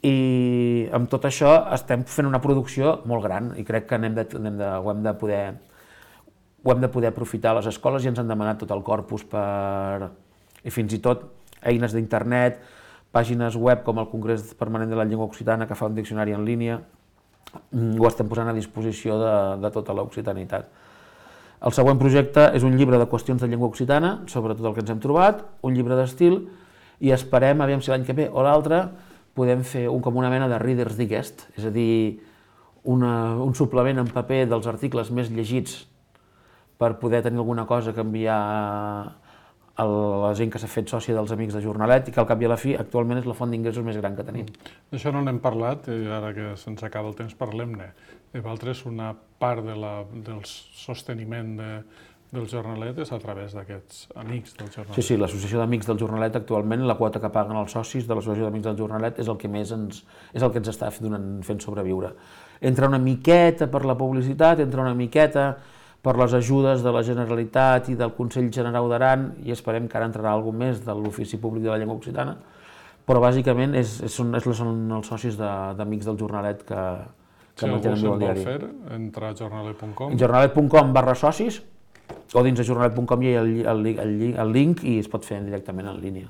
i amb tot això estem fent una producció molt gran i crec que anem de, anem de, ho, hem de poder, ho hem de poder aprofitar a les escoles i ens han demanat tot el corpus per, i fins i tot eines d'internet, pàgines web com el Congrés Permanent de la Llengua Occitana que fa un diccionari en línia, ho estem posant a disposició de, de tota l'occitanitat. El següent projecte és un llibre de qüestions de llengua occitana, sobre tot el que ens hem trobat, un llibre d'estil, i esperem, aviam si l'any que ve o l'altre, podem fer un, com una mena de Reader's Digest, és a dir, una, un suplement en paper dels articles més llegits per poder tenir alguna cosa que enviar a la gent que s'ha fet sòcia dels Amics de Jornalet i que al cap i a la fi actualment és la font d'ingressos més gran que tenim. D'això no n'hem parlat, i ara que se'ns acaba el temps parlem-ne. Vosaltres, una part de la, del sosteniment de, del Jornalet és a través d'aquests Amics del Jornalet. Sí, sí, l'Associació d'Amics del Jornalet actualment, la quota que paguen els socis de l'Associació d'Amics del Jornalet és el que més ens, és el que ens està donant, fent sobreviure. Entra una miqueta per la publicitat, entra una miqueta per les ajudes de la Generalitat i del Consell Generau d'Aran, i esperem que ara entrarà alguna més de l'Ofici Públic de la Llengua Occitana, però bàsicament és, és, són, és, són els socis d'Amics de, del Jornalet que, que si mantenen algú el diari. Si algú se'n vol fer, entra a jornalet punt com. jornalet punt com barra socis, o dins de jornalet punt com hi ha el, el, el, el link i es pot fer directament en línia.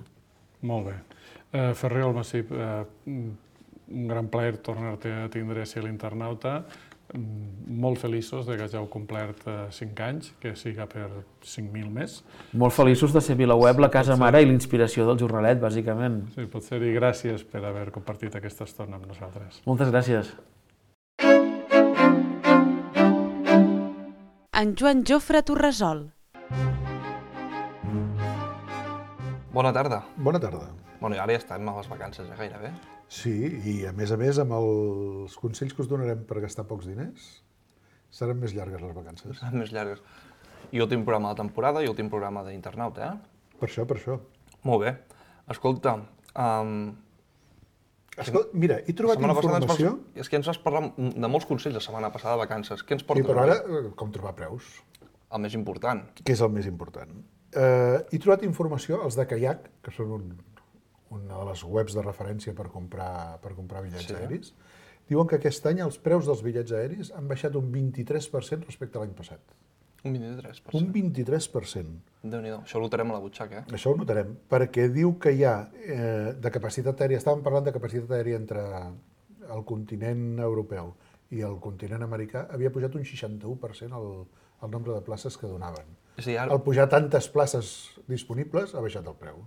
Molt bé. Eh, Ferrer Almasip, eh, un gran plaer tornar-te a tindre a l'Internauta. Molt feliços de que hàgiu complert cinc anys, que siga per cinc mil més. Molt feliços de ser VilaWeb, la casa mare i l'inspiració del Jornalet, bàsicament. Sí, pot ser, i gràcies per haver compartit aquesta estona amb nosaltres. Moltes gràcies. En Joan Jofre Torresol. Bona tarda. Bona tarda. Bueno, i ara ja estem a les vacances, eh, gairebé. Sí, i a més a més, amb els consells que us donarem per gastar pocs diners, seran més llargues les vacances. Seran més llargues. I últim programa de temporada i últim programa d'Internauta, eh? Per això, per això. Molt bé. Escolta, um, Escolta, mira, he trobat informació... Vas... És que ens vas parlar de molts consells la setmana passada de vacances. Què ens portes? Sí, però ara, com trobar preus? El més important. Què és el més important? Uh, he trobat informació, els de Kayak, que són un, una de les webs de referència per comprar, per comprar bitllets sí. aeris, diuen que aquest any els preus dels bitllets aeris han baixat un vint-i-tres per cent respecte a l'any passat. Un vint-i-tres per cent? Un vint-i-tres per cent. Déu-n'hi-do, això ho notarem a la butxaca, eh? Això ho notarem, perquè diu que hi ha eh, de capacitat aèria, estàvem parlant de capacitat aèria entre el continent europeu i el continent americà, havia pujat un seixanta-u per cent el, el nombre de places que donaven. Sí, ara... Al pujar tantes places disponibles, ha baixat el preu,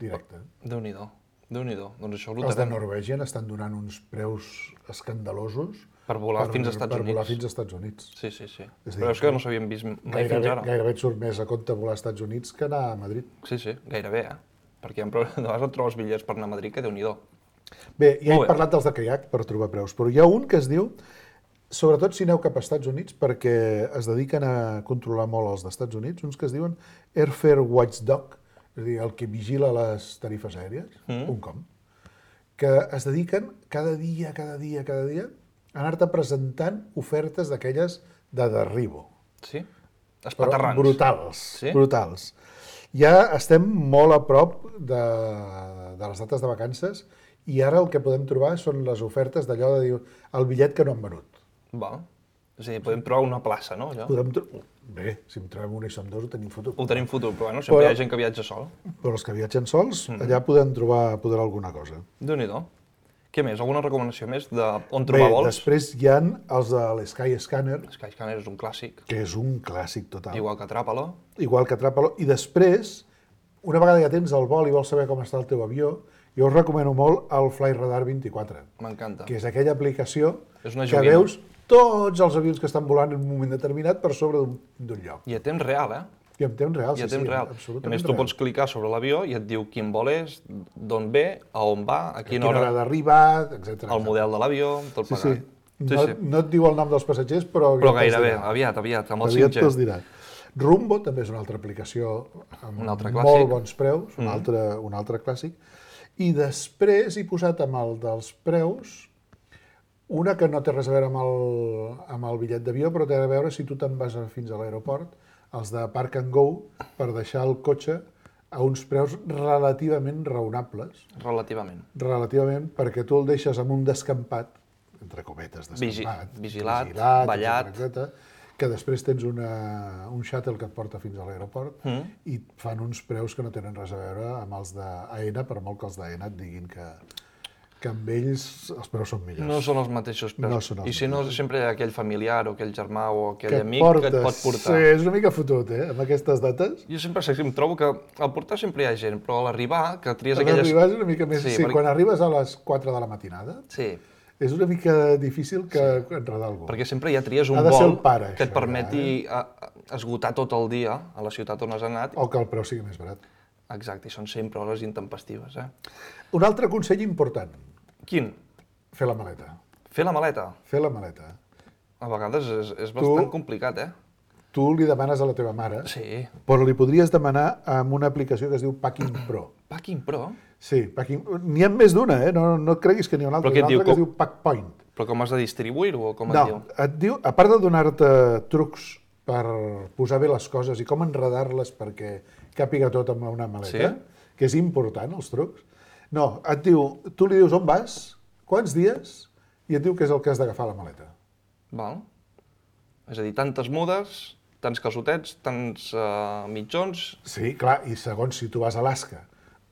directe. Déu-n'hi-do, Déu-n'hi-do. Doncs això ho Els de notarem. Norwegian estan donant uns preus escandalosos Per volar per, fins als Estats per Units. volar fins als Estats Units. Sí, sí, sí. És dir, Però és que no s'havien vist mai Gairebé, fins ara. gairebé et surt més a compte volar als Estats Units que anar a Madrid. Sí, sí, gairebé, eh? Perquè de vegades et trobes bitllets per anar a Madrid, que Déu-n'hi-do. Bé, ja he Molt bé. parlat dels de Kayak per trobar preus, però hi ha un que es diu, sobretot si aneu cap als Estats Units, perquè es dediquen a controlar molt els d'Estats Units, uns que es diuen Airfare Watchdog, és a dir, el que vigila les tarifes aèries, Mm. un com, que es dediquen cada dia, cada dia, cada dia, a anar-te presentant ofertes d'aquelles de derribo. Sí? Però Espaterrans. brutals, Sí? brutals. Ja estem molt a prop de, de les dates de vacances i ara el que podem trobar són les ofertes d'allò de dir el bitllet que no han venut. Va. És a dir, podem trobar una plaça, no? Allò? Podem tro bé, si en trobem un i som dos ho tenim fotut. Ho tenim fotut, però bueno, sempre Però- hi ha gent que viatja sol. Però els que viatgen sols, allà podem trobar poder alguna cosa. Déu-n'hi-do. Què més? Alguna recomanació més de on Bé, trobar vols? després hi ha els de l'Sky Scanner, Skyscanner és un clàssic, que és un clàssic total. igual que Atrapalo. Igual que Atrapalo. I després, una vegada ja tens el vol i vols saber com està el teu avió, jo us recomano molt el Flightradar vint-i-quatre, M'encanta. que és aquella aplicació És una que joguina. veus tots els avions que estan volant en un moment determinat per sobre d'un d'un lloc. I a temps real, eh? I en temps real, I a sí, temps sí, real. A absolutament més, tu real. pots clicar sobre l'avió i et diu quin vol és, d'on ve, a on va, a A quina quina hora hora, d'arribar, etcètera. el model de l'avió, tot Sí, plegat. sí. No, no et diu el nom dels passatgers, però... Però ja te'ls gairebé, dirà. aviat, aviat, amb el Aviat cinc G. te'ls dirà. Rumbo també és una altra aplicació amb Un altre molt clàssic. bons preus, un, altre, un altre clàssic. I després he posat amb el dels preus una que no té res a veure amb el, amb el bitllet d'avió, però té a veure si tu te'n vas a- fins a l'aeroport, els de Park and Go, per deixar el cotxe a uns preus relativament raonables, Relativament. relativament, perquè tu el deixes amb un descampat, entre cometes, Vigi- descampat, vigilat, vigilat, ballat. etcètera, etcètera, que després tens una, un shuttle que et porta fins a l'aeroport Mm. i et fan uns preus que no tenen res a veure amb els d'Aena, per molt que els d'Aena et diguin que, que amb ells els preus són millors. No són els mateixos preus. No són els I si no, sempre hi ha aquell familiar o aquell germà o aquell que et amic portes. que et pot portar. Sí, és una mica fotut, eh, amb aquestes dates. Jo sempre sé que em trobo que al portar sempre hi ha gent, però a l'arribar, que tries A aquelles... l'arribar és una mica més... Sí, Sí, perquè- quan arribes a les quatre de la matinada, Sí, és una mica difícil que enredar algú. perquè sempre ja tries un Ha de ser vol el pare, que et això, permeti a- a- esgotar tot el dia a la ciutat on has anat. O que el preu sigui més barat. Exacte, i són sempre hores intempestives, eh? Un altre consell important, Quin? fer la maleta. Fer la maleta. Fer la maleta. A vegades és, és bastant complicat, eh? Tu li demanes a la teva mare, Sí. però li podries demanar amb una aplicació que es diu Packing Pro. Packing Pro? Sí, Packing... n'hi ha més d'una, eh? No, no et creguis que n'hi ha una altra. Però què N'hi ha et diu? una altra que es Com- diu Packpoint. Però com has de distribuir-ho o com et No, diu? et diu, a part de donar-te trucs per posar bé les coses i com enredar-les perquè càpiga tot amb una maleta, Sí? que és important, els trucs, no, et diu, tu li dius on vas, quants dies, i et diu què és el que has d'agafar a la maleta. Val. És a dir, tantes mudes, tants calçotets, tants uh, mitjons... Sí, clar, i segons si tu vas a Alaska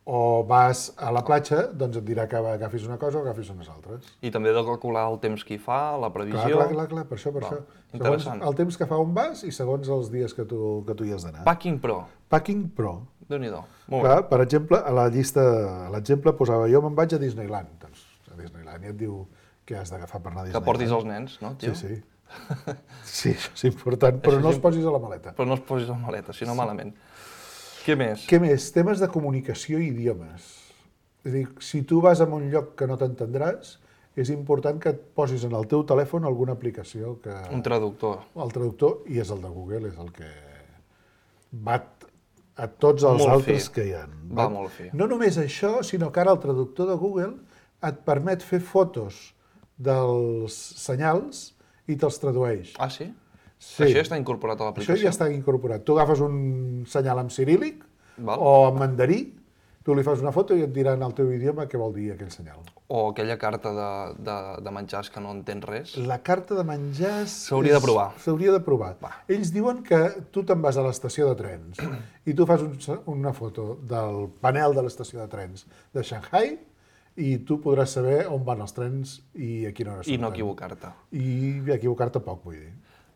o vas a la platja, doncs et dirà que agafis una cosa o agafis unes altres. I també he de calcular el temps que hi fa, la Clar, previsió... clar, clar, clar, per això, per Val, això. Segons interessant. el temps que fa on vas i segons els dies que tu, que tu hi has d'anar. Packing Pro. Packing Pro. Déu-n'hi-do. Molt Clar, per exemple, a la llista, a l'exemple posava jo me'n vaig a Disneyland. Doncs a Disneyland i et diu què has d'agafar per anar a bé. Que Disneyland. portis els nens, no, tio? Sí, sí. Sí, això és important, però Això no és els posis a la maleta. Però no els posis a la maleta, si no malament. Què més? Què més? Temes de comunicació i idiomes. És a dir, si tu vas a un lloc que no t'entendràs, és important que et posis en el teu telèfon alguna aplicació que... Un traductor. El traductor, i és el de Google, és el que bat a tots els Molt altres fi. que hi ha. Va molt fi. No només això, sinó que ara el traductor de Google et permet fer fotos dels senyals i te'ls tradueix. Ah, sí? Sí. Això ja està incorporat a Això l'aplicació? ja està incorporat. Tu agafes un senyal en ciríl·lic Val. o en mandarí, tu li fas una foto i et dirà en el teu idioma què vol dir aquell senyal. O aquella carta de, de, de menjars que no entens res? La carta de menjars... S'hauria de és- provar. S'hauria de provar. Va. Ells diuen que tu te'n vas a l'estació de trens i tu fas un, una foto del panel de l'estació de trens de Shanghai i tu podràs saber on van els trens i a quina hora I no surten. equivocar-te. I equivocar-te poc, vull dir.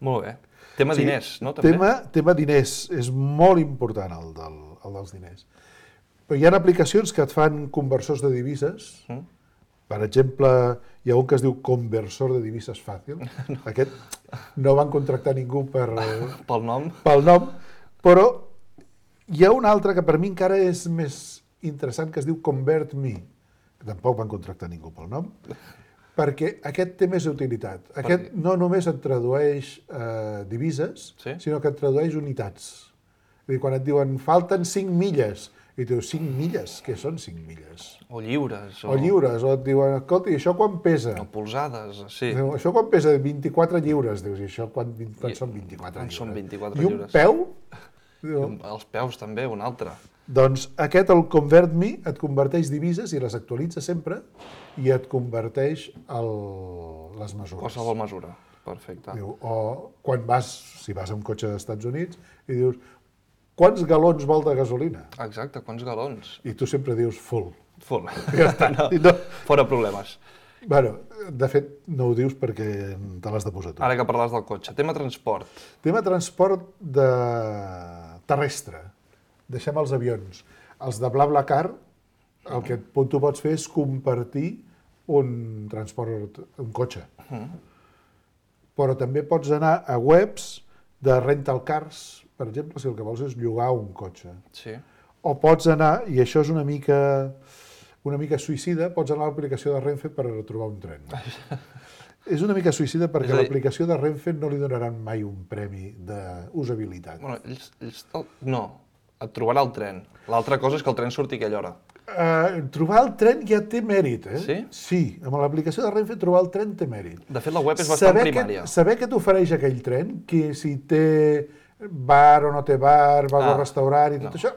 Molt bé. Tema diners, no? També? Tema, tema diners. És molt important el, del, el dels diners. Però hi ha aplicacions que et fan conversors de divises. Mm. Per exemple, hi ha un que es diu Conversor de Divises Fàcil. No. Aquest no van contractar ningú per, Pel nom? pel nom, però hi ha un altre que per mi encara és més interessant, que es diu ConvertMe, que tampoc van contractar ningú pel nom, perquè aquest té més utilitat. Aquest no només et tradueix eh, divises, Sí? sinó que et tradueix unitats. És a dir, quan et diuen falten cinc milles, i tu dius, cinc milles? Què són cinc milles? O lliures? O lliures, o et diuen, escolta, i això quan pesa? O polsades, sí. Diu, això quan pesa vint-i-quatre lliures, dius, i això quan, quan I- són vint-i-quatre quan lliures? són vint-i-quatre I un lliures? peu? Diu, Els peus també, un altre. doncs aquest, el ConvertMe, et converteix divises i les actualitza sempre i et converteix el, les mesures. Qualsevol mesura. Perfecte. Diu, o quan vas, si vas amb cotxe dels Estats Units, i dius, quants galons vol de gasolina? Exacte, quants galons? I tu sempre dius full. Full. Ja està. No, I no. fora problemes. Bueno, de fet, no ho dius perquè te l'has de posar tu. Ara que parles del cotxe, tema transport. Tema transport de... terrestre. Deixem els avions. Els de BlaBlaCar, el que tu pots fer és compartir un transport, un cotxe. Però també pots anar a webs de rental cars, per exemple, si el que vols és llogar un cotxe. Sí. O pots anar, i això és una mica, una mica suïcida, pots anar a l'aplicació de Renfe per trobar un tren. És una mica suïcida perquè a l'aplicació de Renfe no li donaran mai un premi d'usabilitat. Bueno, ells, ells no, et trobarà el tren. L'altra cosa és que el tren surti a aquella hora. Uh, trobar el tren ja té mèrit, eh? Sí? Sí, amb l'aplicació de Renfe trobar el tren té mèrit. De fet, la web és bastant saber primària. Que, saber què t'ofereix aquell tren, que si té bar o no té bar, bar Ah, o restaurant i tot no. això,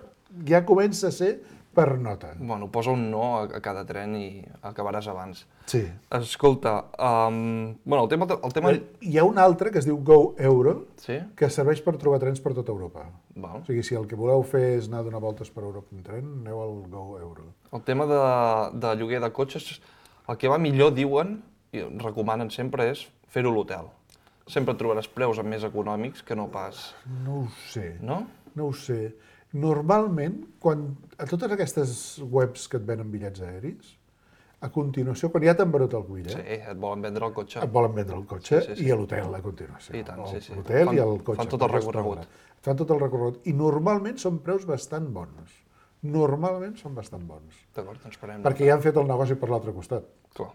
ja comença a ser per nota. Bueno, posa un no a, a cada tren i acabaràs abans. Sí. Escolta, um, bueno, el tema... El tema... Hi ha un altre que es diu Go Euro, Sí? que serveix per trobar trens per tota Europa. Val. O sigui, si el que voleu fer és anar a donar voltes per Europa en tren, aneu al Go Euro. El tema de, de lloguer de cotxes, el que va millor, diuen, i recomanen sempre, és fer-ho a l'hotel. Sempre trobaràs preus més econòmics que no pas... No ho sé. No? No ho sé. Normalment, quan a totes aquestes webs que et venen bitllets aeris, a continuació, quan ja t'han venut el bitllet, Sí, et volen vendre el cotxe. et volen vendre el cotxe Sí, sí, sí. i a l'hotel a continuació. I tant, sí, sí. L'hotel Fan- i el cotxe. fan tot el per recorregut. restaurar. Fan tot el recorregut. I normalment són preus bastant bons. Normalment són bastant bons. D'acord, doncs parem. Perquè ja han fet el negoci per l'altre costat. Clar.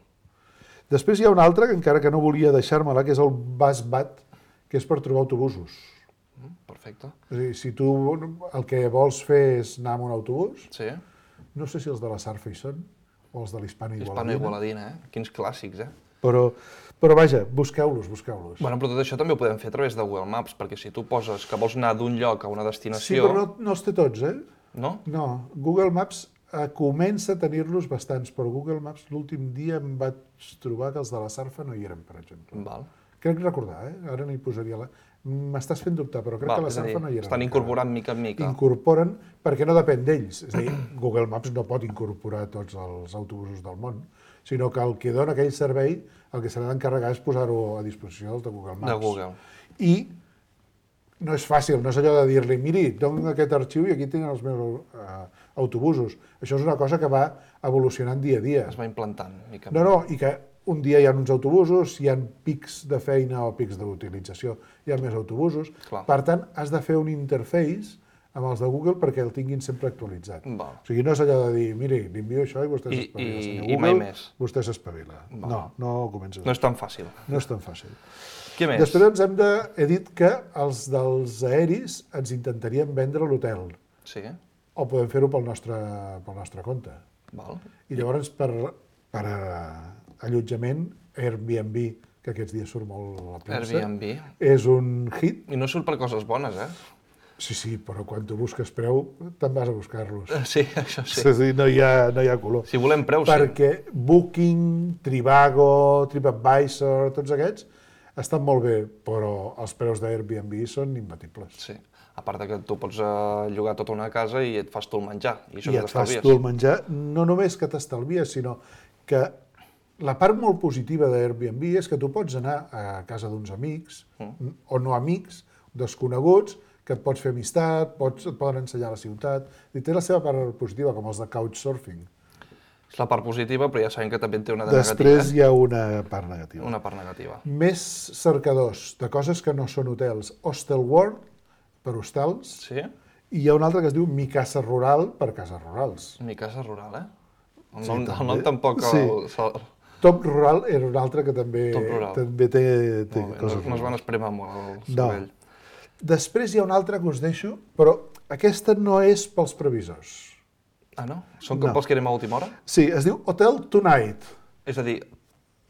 Després hi ha un altre, que encara que no volia deixar-me-la, que és el BusBat, que és per trobar autobusos. Mm, perfecte. És a dir, si tu el que vols fer és anar amb un autobús, Sí? no sé si els de la Sarfa hi són, o els de l'Hispana Hispana Igualadina, Igualadina, eh? Quins clàssics, eh? però, però vaja, busqueu-los, busqueu-los. Bueno, però tot això també ho podem fer a través de Google Maps, perquè si tu poses que vols anar d'un lloc a una sí, destinació... però no, no els té tots, eh? No? No, Google Maps eh, comença a tenir-los bastants, però Google Maps l'últim dia em vaig trobar que els de la Sarfa no hi eren, per exemple. Val. Crec recordar, eh? Ara no hi posaria la... M'estàs fent dubtar, però crec Val, que la és a dir, Sarfa no hi eren. estan encara. incorporant mica en mica. Incorporen, perquè no depèn d'ells. És a dir, Google Maps no pot incorporar tots els autobusos del món, sinó que el que dona aquell servei, el que s'ha d'encarregar és posar-ho a disposició dels de Google Maps. De Google. I no és fàcil, no és allò de dir-li, miri, dono aquest arxiu i aquí tenen els meus uh, autobusos. Això és una cosa que va evolucionant dia a dia. Es va implantant, mica. No, no, i que un dia hi ha uns autobusos, hi ha pics de feina o pics d'utilització, hi ha més autobusos. Clar. Per tant, has de fer un interface amb els de Google perquè el tinguin sempre actualitzat. Val. O sigui, no és allò de dir, miri, li envio això i vostè I- s'espavila, i- senyor i Google, mai més. vostè s'espavila. Val. No, no comences. No és tan fàcil. no és tan fàcil. Què més? Després ens hem de... He dit que els dels aeris ens intentaríem vendre a l'hotel, Sí? o podem fer-ho pel nostre, pel nostre compte. Val. I llavors, per, per eh, allotjament, Airbnb, que aquests dies surt molt a la premsa, Airbnb. és un hit. I no surt per coses bones, eh? Sí, sí, però quan tu busques preu, te'n vas a buscar-los. Sí, això sí. És a dir, no hi ha, no hi ha color. Si volem preus, sí. Perquè Booking, Trivago, TripAdvisor, tots aquests, estan molt bé, però els preus d'Airbnb són imbatibles. Sí. A part de que tu pots uh, llogar tota una casa i et fas tu el menjar. I això I que et fas t'estalvies. tu el menjar, no només que t'estalvies, sinó que la part molt positiva d'Airbnb és que tu pots anar a casa d'uns amics, mm. o no amics, desconeguts, que et pots fer amistat, pots, et poden ensenyar la ciutat, i té la seva part positiva, com els de Couchsurfing. És la part positiva, però ja sabem que també en té una de Després negativa. hi ha una part negativa. Una part negativa. Més cercadors de coses que no són hotels. Hostel World, per hostals, Sí? i hi ha un altre que es diu Mi Casa Rural, per cases rurals. Mi casa rural, eh? El Sí, nom, el també. nom tampoc... Sí. El, el, Top Rural era un altre que també, Top Rural. també té, té molt bé, coses no, no es van rurals. esprémer molt el No. cervell. Després hi ha un altre que us deixo, però aquesta no és pels previsors. Ah, no? Són com No. pels que anem a última hora? Sí, es diu Hotel Tonight. És a dir,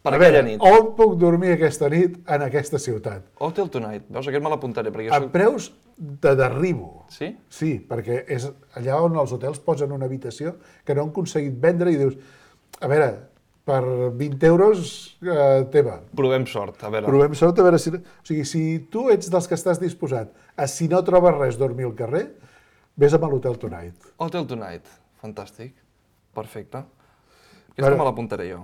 per a aquella veure, nit. on puc dormir aquesta nit en aquesta ciutat? Hotel Tonight. Veus, aquest me l'apuntaré, perquè A jo soc... preus de derribo. Sí? Sí, perquè és allà on els hotels posen una habitació que no han aconseguit vendre i dius, a veure, per vint euros eh, teva. Provem sort, a veure. Provem sort, a veure si... O sigui, si tu ets dels que estàs disposat a, si no trobes res, dormir al carrer, vés amb l'Hotel Tonight. Hotel Tonight, fantàstic, perfecte. Aquesta Veure, me l'apuntaré jo.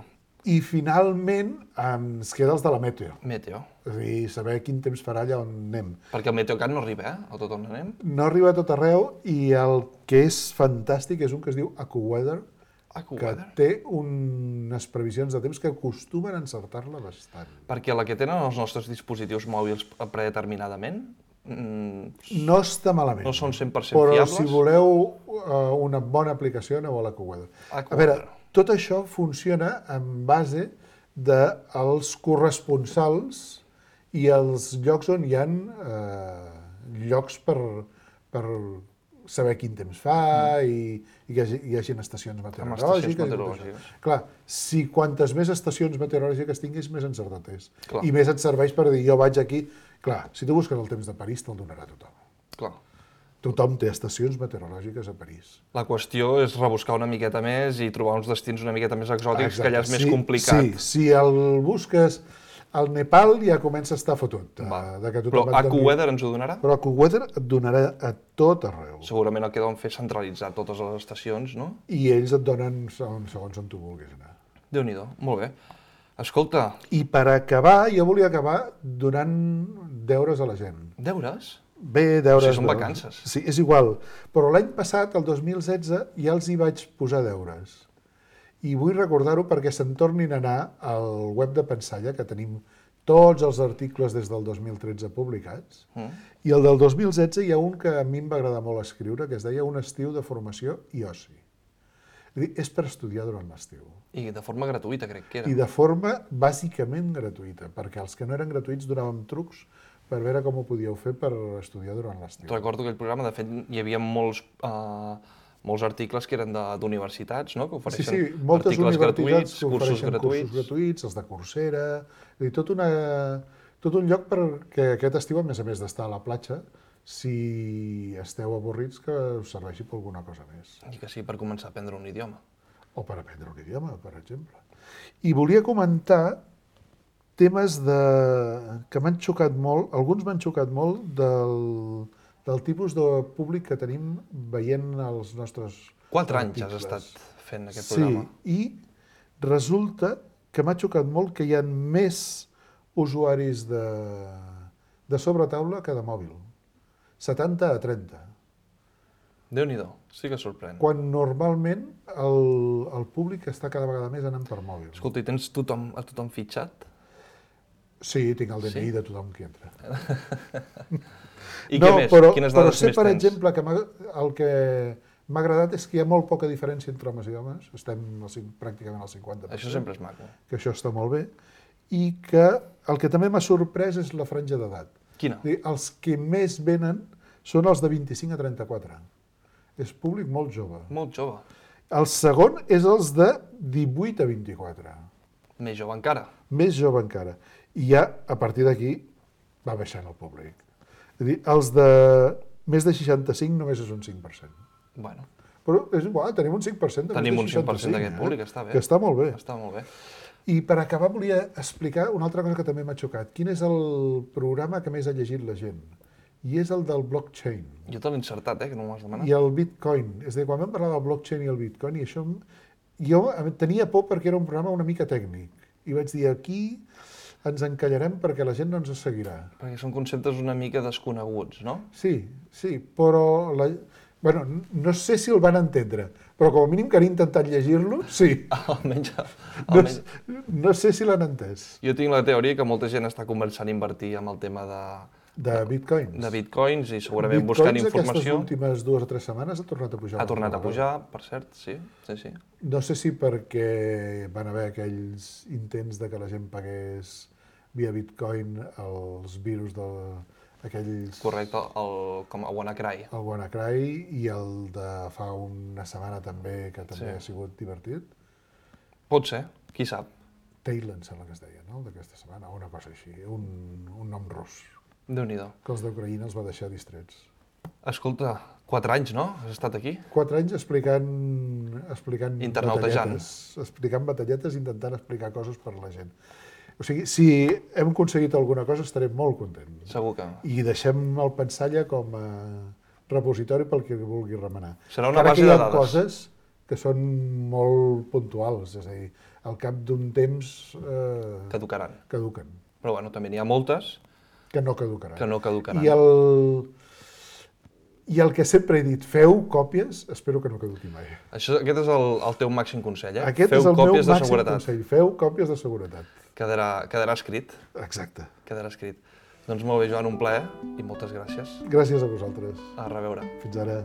I finalment ens queda els de la Meteo. Meteo. És a dir, saber quin temps farà allà on anem. Perquè el Meteocat no arriba, eh? A tot on anem. No arriba a tot arreu i el que és fantàstic és un que es diu AccuWeather, que AccuWeather. té unes previsions de temps que acostumen a encertar-la bastant. Perquè la que tenen els nostres dispositius mòbils predeterminadament mm, No està malament. no són cent per cent però fiables. si voleu uh, una bona aplicació, aneu a l'AccuWeather. A AccuWeather. veure, tot això funciona en base dels corresponsals i els llocs on hi ha eh, llocs per, per saber quin temps fa mm. i, i que hi hagi, hi hagi estacions meteorològiques. estacions i tot meteorològiques. això. Clar, si quantes més estacions meteorològiques tinguis, més encertat és. Clar. I més et serveix per dir, jo vaig aquí... Clar, si tu busques el temps de París, te'l donarà tothom. Clar. Tothom té estacions meteorològiques a París. La qüestió és rebuscar una miqueta més i trobar uns destins una miqueta més exòtics, Exacte. que allà és més sí, complicat. Sí, si el busques al Nepal ja comença a estar fotut. De, Va. de que Però tothom et doni- AccuWeather ens ho donarà? Però AccuWeather et donarà a tot arreu. Segurament el que deuen fer és centralitzar totes les estacions, no? I ells et donen segons, segons on tu vulguis anar. Déu-n'hi-do, molt bé. Escolta, I per acabar, jo volia acabar donant deures a la gent. deures? Bé, deures... O sigui, són de- vacances. Sí, és igual. Però l'any passat, el dos mil setze, ja els hi vaig posar deures. I vull recordar-ho perquè se'n tornin a anar al web de Pensalla, que tenim tots els articles des del dos mil tretze publicats. Mm. I el del dos mil setze hi ha un que a mi em va agradar molt escriure, que es deia Un estiu de formació i oci. És a dir, és per estudiar durant l'estiu. I de forma gratuïta, crec que era. I de forma bàsicament gratuïta, perquè els que no eren gratuïts donàvem trucs per veure com ho podíeu fer per estudiar durant l'estiu. Recordo aquell programa, de fet, hi havia molts, uh, molts articles que eren de- d'universitats, no?, que Sí, ofereixen sí, moltes articles universitats gratuïts, que cursos ofereixen gratuïts. cursos gratuïts, els de Coursera, és a dir, tot, una, tot un lloc perquè aquest estiu, a més a més d'estar a la platja, si esteu avorrits, que us serveixi per alguna cosa més. I que sí, per començar a aprendre un idioma. O per aprendre un idioma, per exemple. I volia comentar temes de... que m'han xocat molt, alguns m'han xocat molt del, del tipus de públic que tenim veient els nostres Quatre anys has articles. estat fent aquest Sí, programa. i resulta que m'ha xocat molt que hi ha més usuaris de, de sobretaula que de mòbil. setanta a trenta. Déu-n'hi-do, sí que sorprèn. Quan normalment el, el públic està cada vegada més anant per mòbil. Escolta, i tens tothom, a tothom fitxat? Sí, tinc el D N I Sí? de tothom qui entra. I no, què més? Però, Quines però dades sé, més per tens? exemple, que m'ha- el que m'ha agradat és que hi ha molt poca diferència entre homes i homes. Estem al, cin- pràcticament al cinquanta per cent. Això sempre és maco. Que això està molt bé. I que el que també m'ha sorprès és la franja d'edat. Quina? És a dir, els que més venen són els de vint-i-cinc a trenta-quatre. És públic molt jove. Molt jove. El segon és els de divuit a vint-i-quatre. Més jove encara. Més jove encara. I ja, a partir d'aquí, va baixant el públic. És a dir, els de més de seixanta-cinc només és un cinc per cent. Bueno, Però és igual, tenim un cinc per cent de tenim un més de cinc per cent d'aquest seixanta-cinc, públic, eh? està bé. Que està molt bé. Està molt bé. I per acabar volia explicar una altra cosa que també m'ha xocat. Quin és el programa que més ha llegit la gent? I és el del blockchain. Jo te l'he insertat, eh, que no m'ho has demanat. I el bitcoin. És a dir, quan vam parlar del blockchain i el bitcoin, i això, em- jo em- tenia por perquè era un programa una mica tècnic. I vaig dir, aquí ens encallarem perquè la gent no ens seguirà. Perquè són conceptes una mica desconeguts, no? Sí, sí, però... La... Bueno, no sé si el van entendre, però com a mínim que han intentat llegir-lo, sí. Almenys, No, almenys... no sé si l'han entès. Jo tinc la teoria que molta gent està començant a invertir amb el tema de, De bitcoins. de bitcoins i segurament buscant Bitcoins informació. aquestes últimes dues o tres setmanes ha tornat a pujar. Ha tornat a una altra pujar, per cert, sí, sí, sí. vegada. No sé si perquè van haver aquells intents de que la gent pagués via bitcoin els virus de aquells... Correcte, el, com a WannaCry. El WannaCry i el de fa una setmana també, que també Sí. ha sigut divertit. Pot ser, qui sap. Tail, em sembla que es deia, no?, d'aquesta setmana, o una cosa així, un, un nom rus, Déu-n'hi-do. que els d'Ucraïna els va deixar distrets. Escolta, quatre anys, no? Has estat aquí? Quatre anys explicant... explicant Internautejant. batalletes, explicant batalletes, intentant explicar coses per a la gent. O sigui, si hem aconseguit alguna cosa, estarem molt contents. Segur que... I deixem el Pensalla com a repositori pel que vulgui remenar. Serà una Encara base que hi de ha dades. coses que són molt puntuals, és a dir, al cap d'un temps eh, Caducaran. caduquen, Però bueno, també n'hi ha moltes que no caducaran. que no caducaran. I el, I el que sempre he dit, feu còpies, espero que no caduqui mai. Això, aquest és el, el teu màxim consell, eh? Aquest Feu és el meu còpies de màxim seguretat. consell, feu còpies de seguretat. Quedarà, quedarà escrit. Exacte. Quedarà escrit. Doncs molt bé, Joan, un plaer i moltes gràcies. Gràcies a vosaltres. A reveure. Fins ara.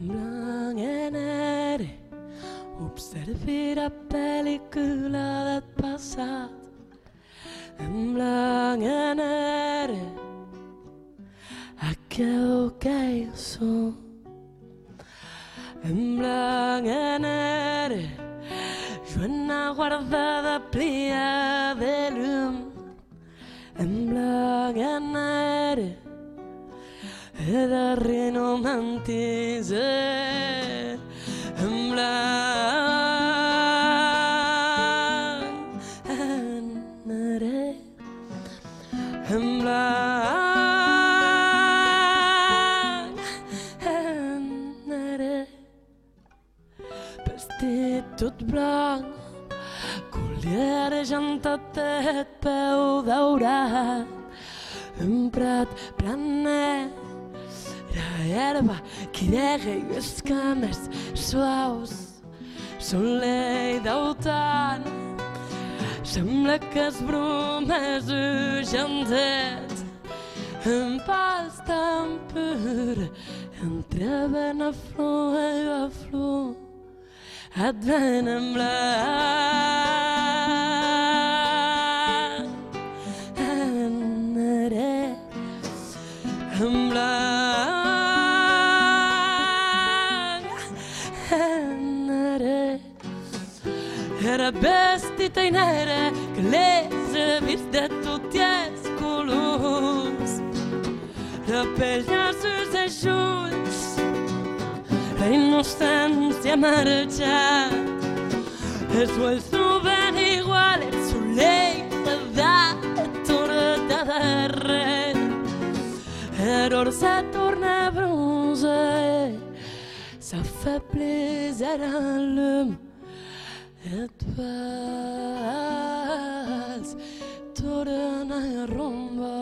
Blanc e nere, observi la pel·lícula del passat. En blanc e nere, aquell que jo som. En blanc e nere, jo una guardada plia de llum. En blanc e nere, e darrer no mentise en blanc anaré en blanc anaré vestit tot blanc collarejant tot el peu daurat un prat planet la herba que nega i les cames suaus soleil d'autant sembla que es bromes ugentet en pas tan pur entre ben a flor i a flor et ven en blanc anaré en blanc era vestita in nere che les vist de tutti els colors la pell als seus ulls la innocència ha marxat els ulls troben igual el soleil da tot de darrer l'or se torna bronze s'affaiblit à l'homme et vas tornar a rumba.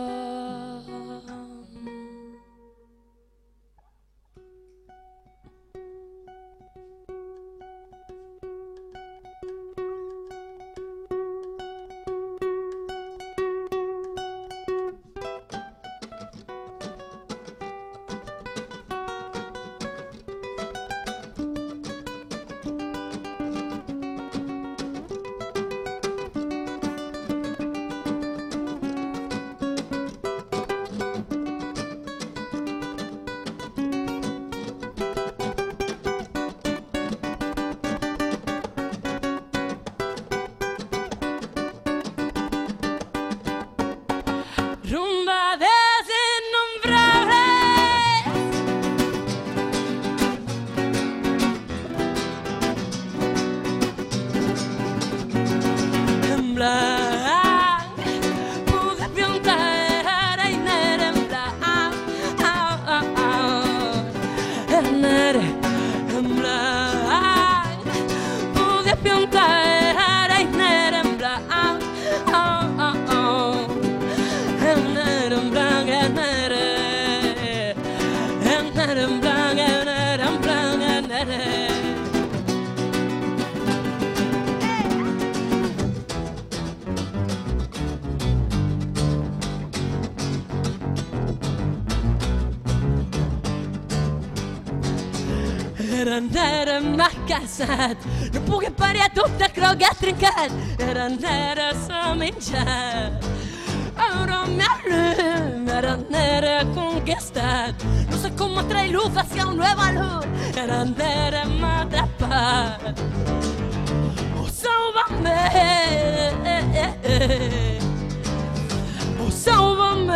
era nera m'ha casat, no puc parir tot de crogat trencat, era nera s'ha menjat. Ara me alum, era nera conquistat, no sé cómo trae luz hacia un nuevo luz, era nera m'ha atrapat. Oh, sálvame, oh, sálvame.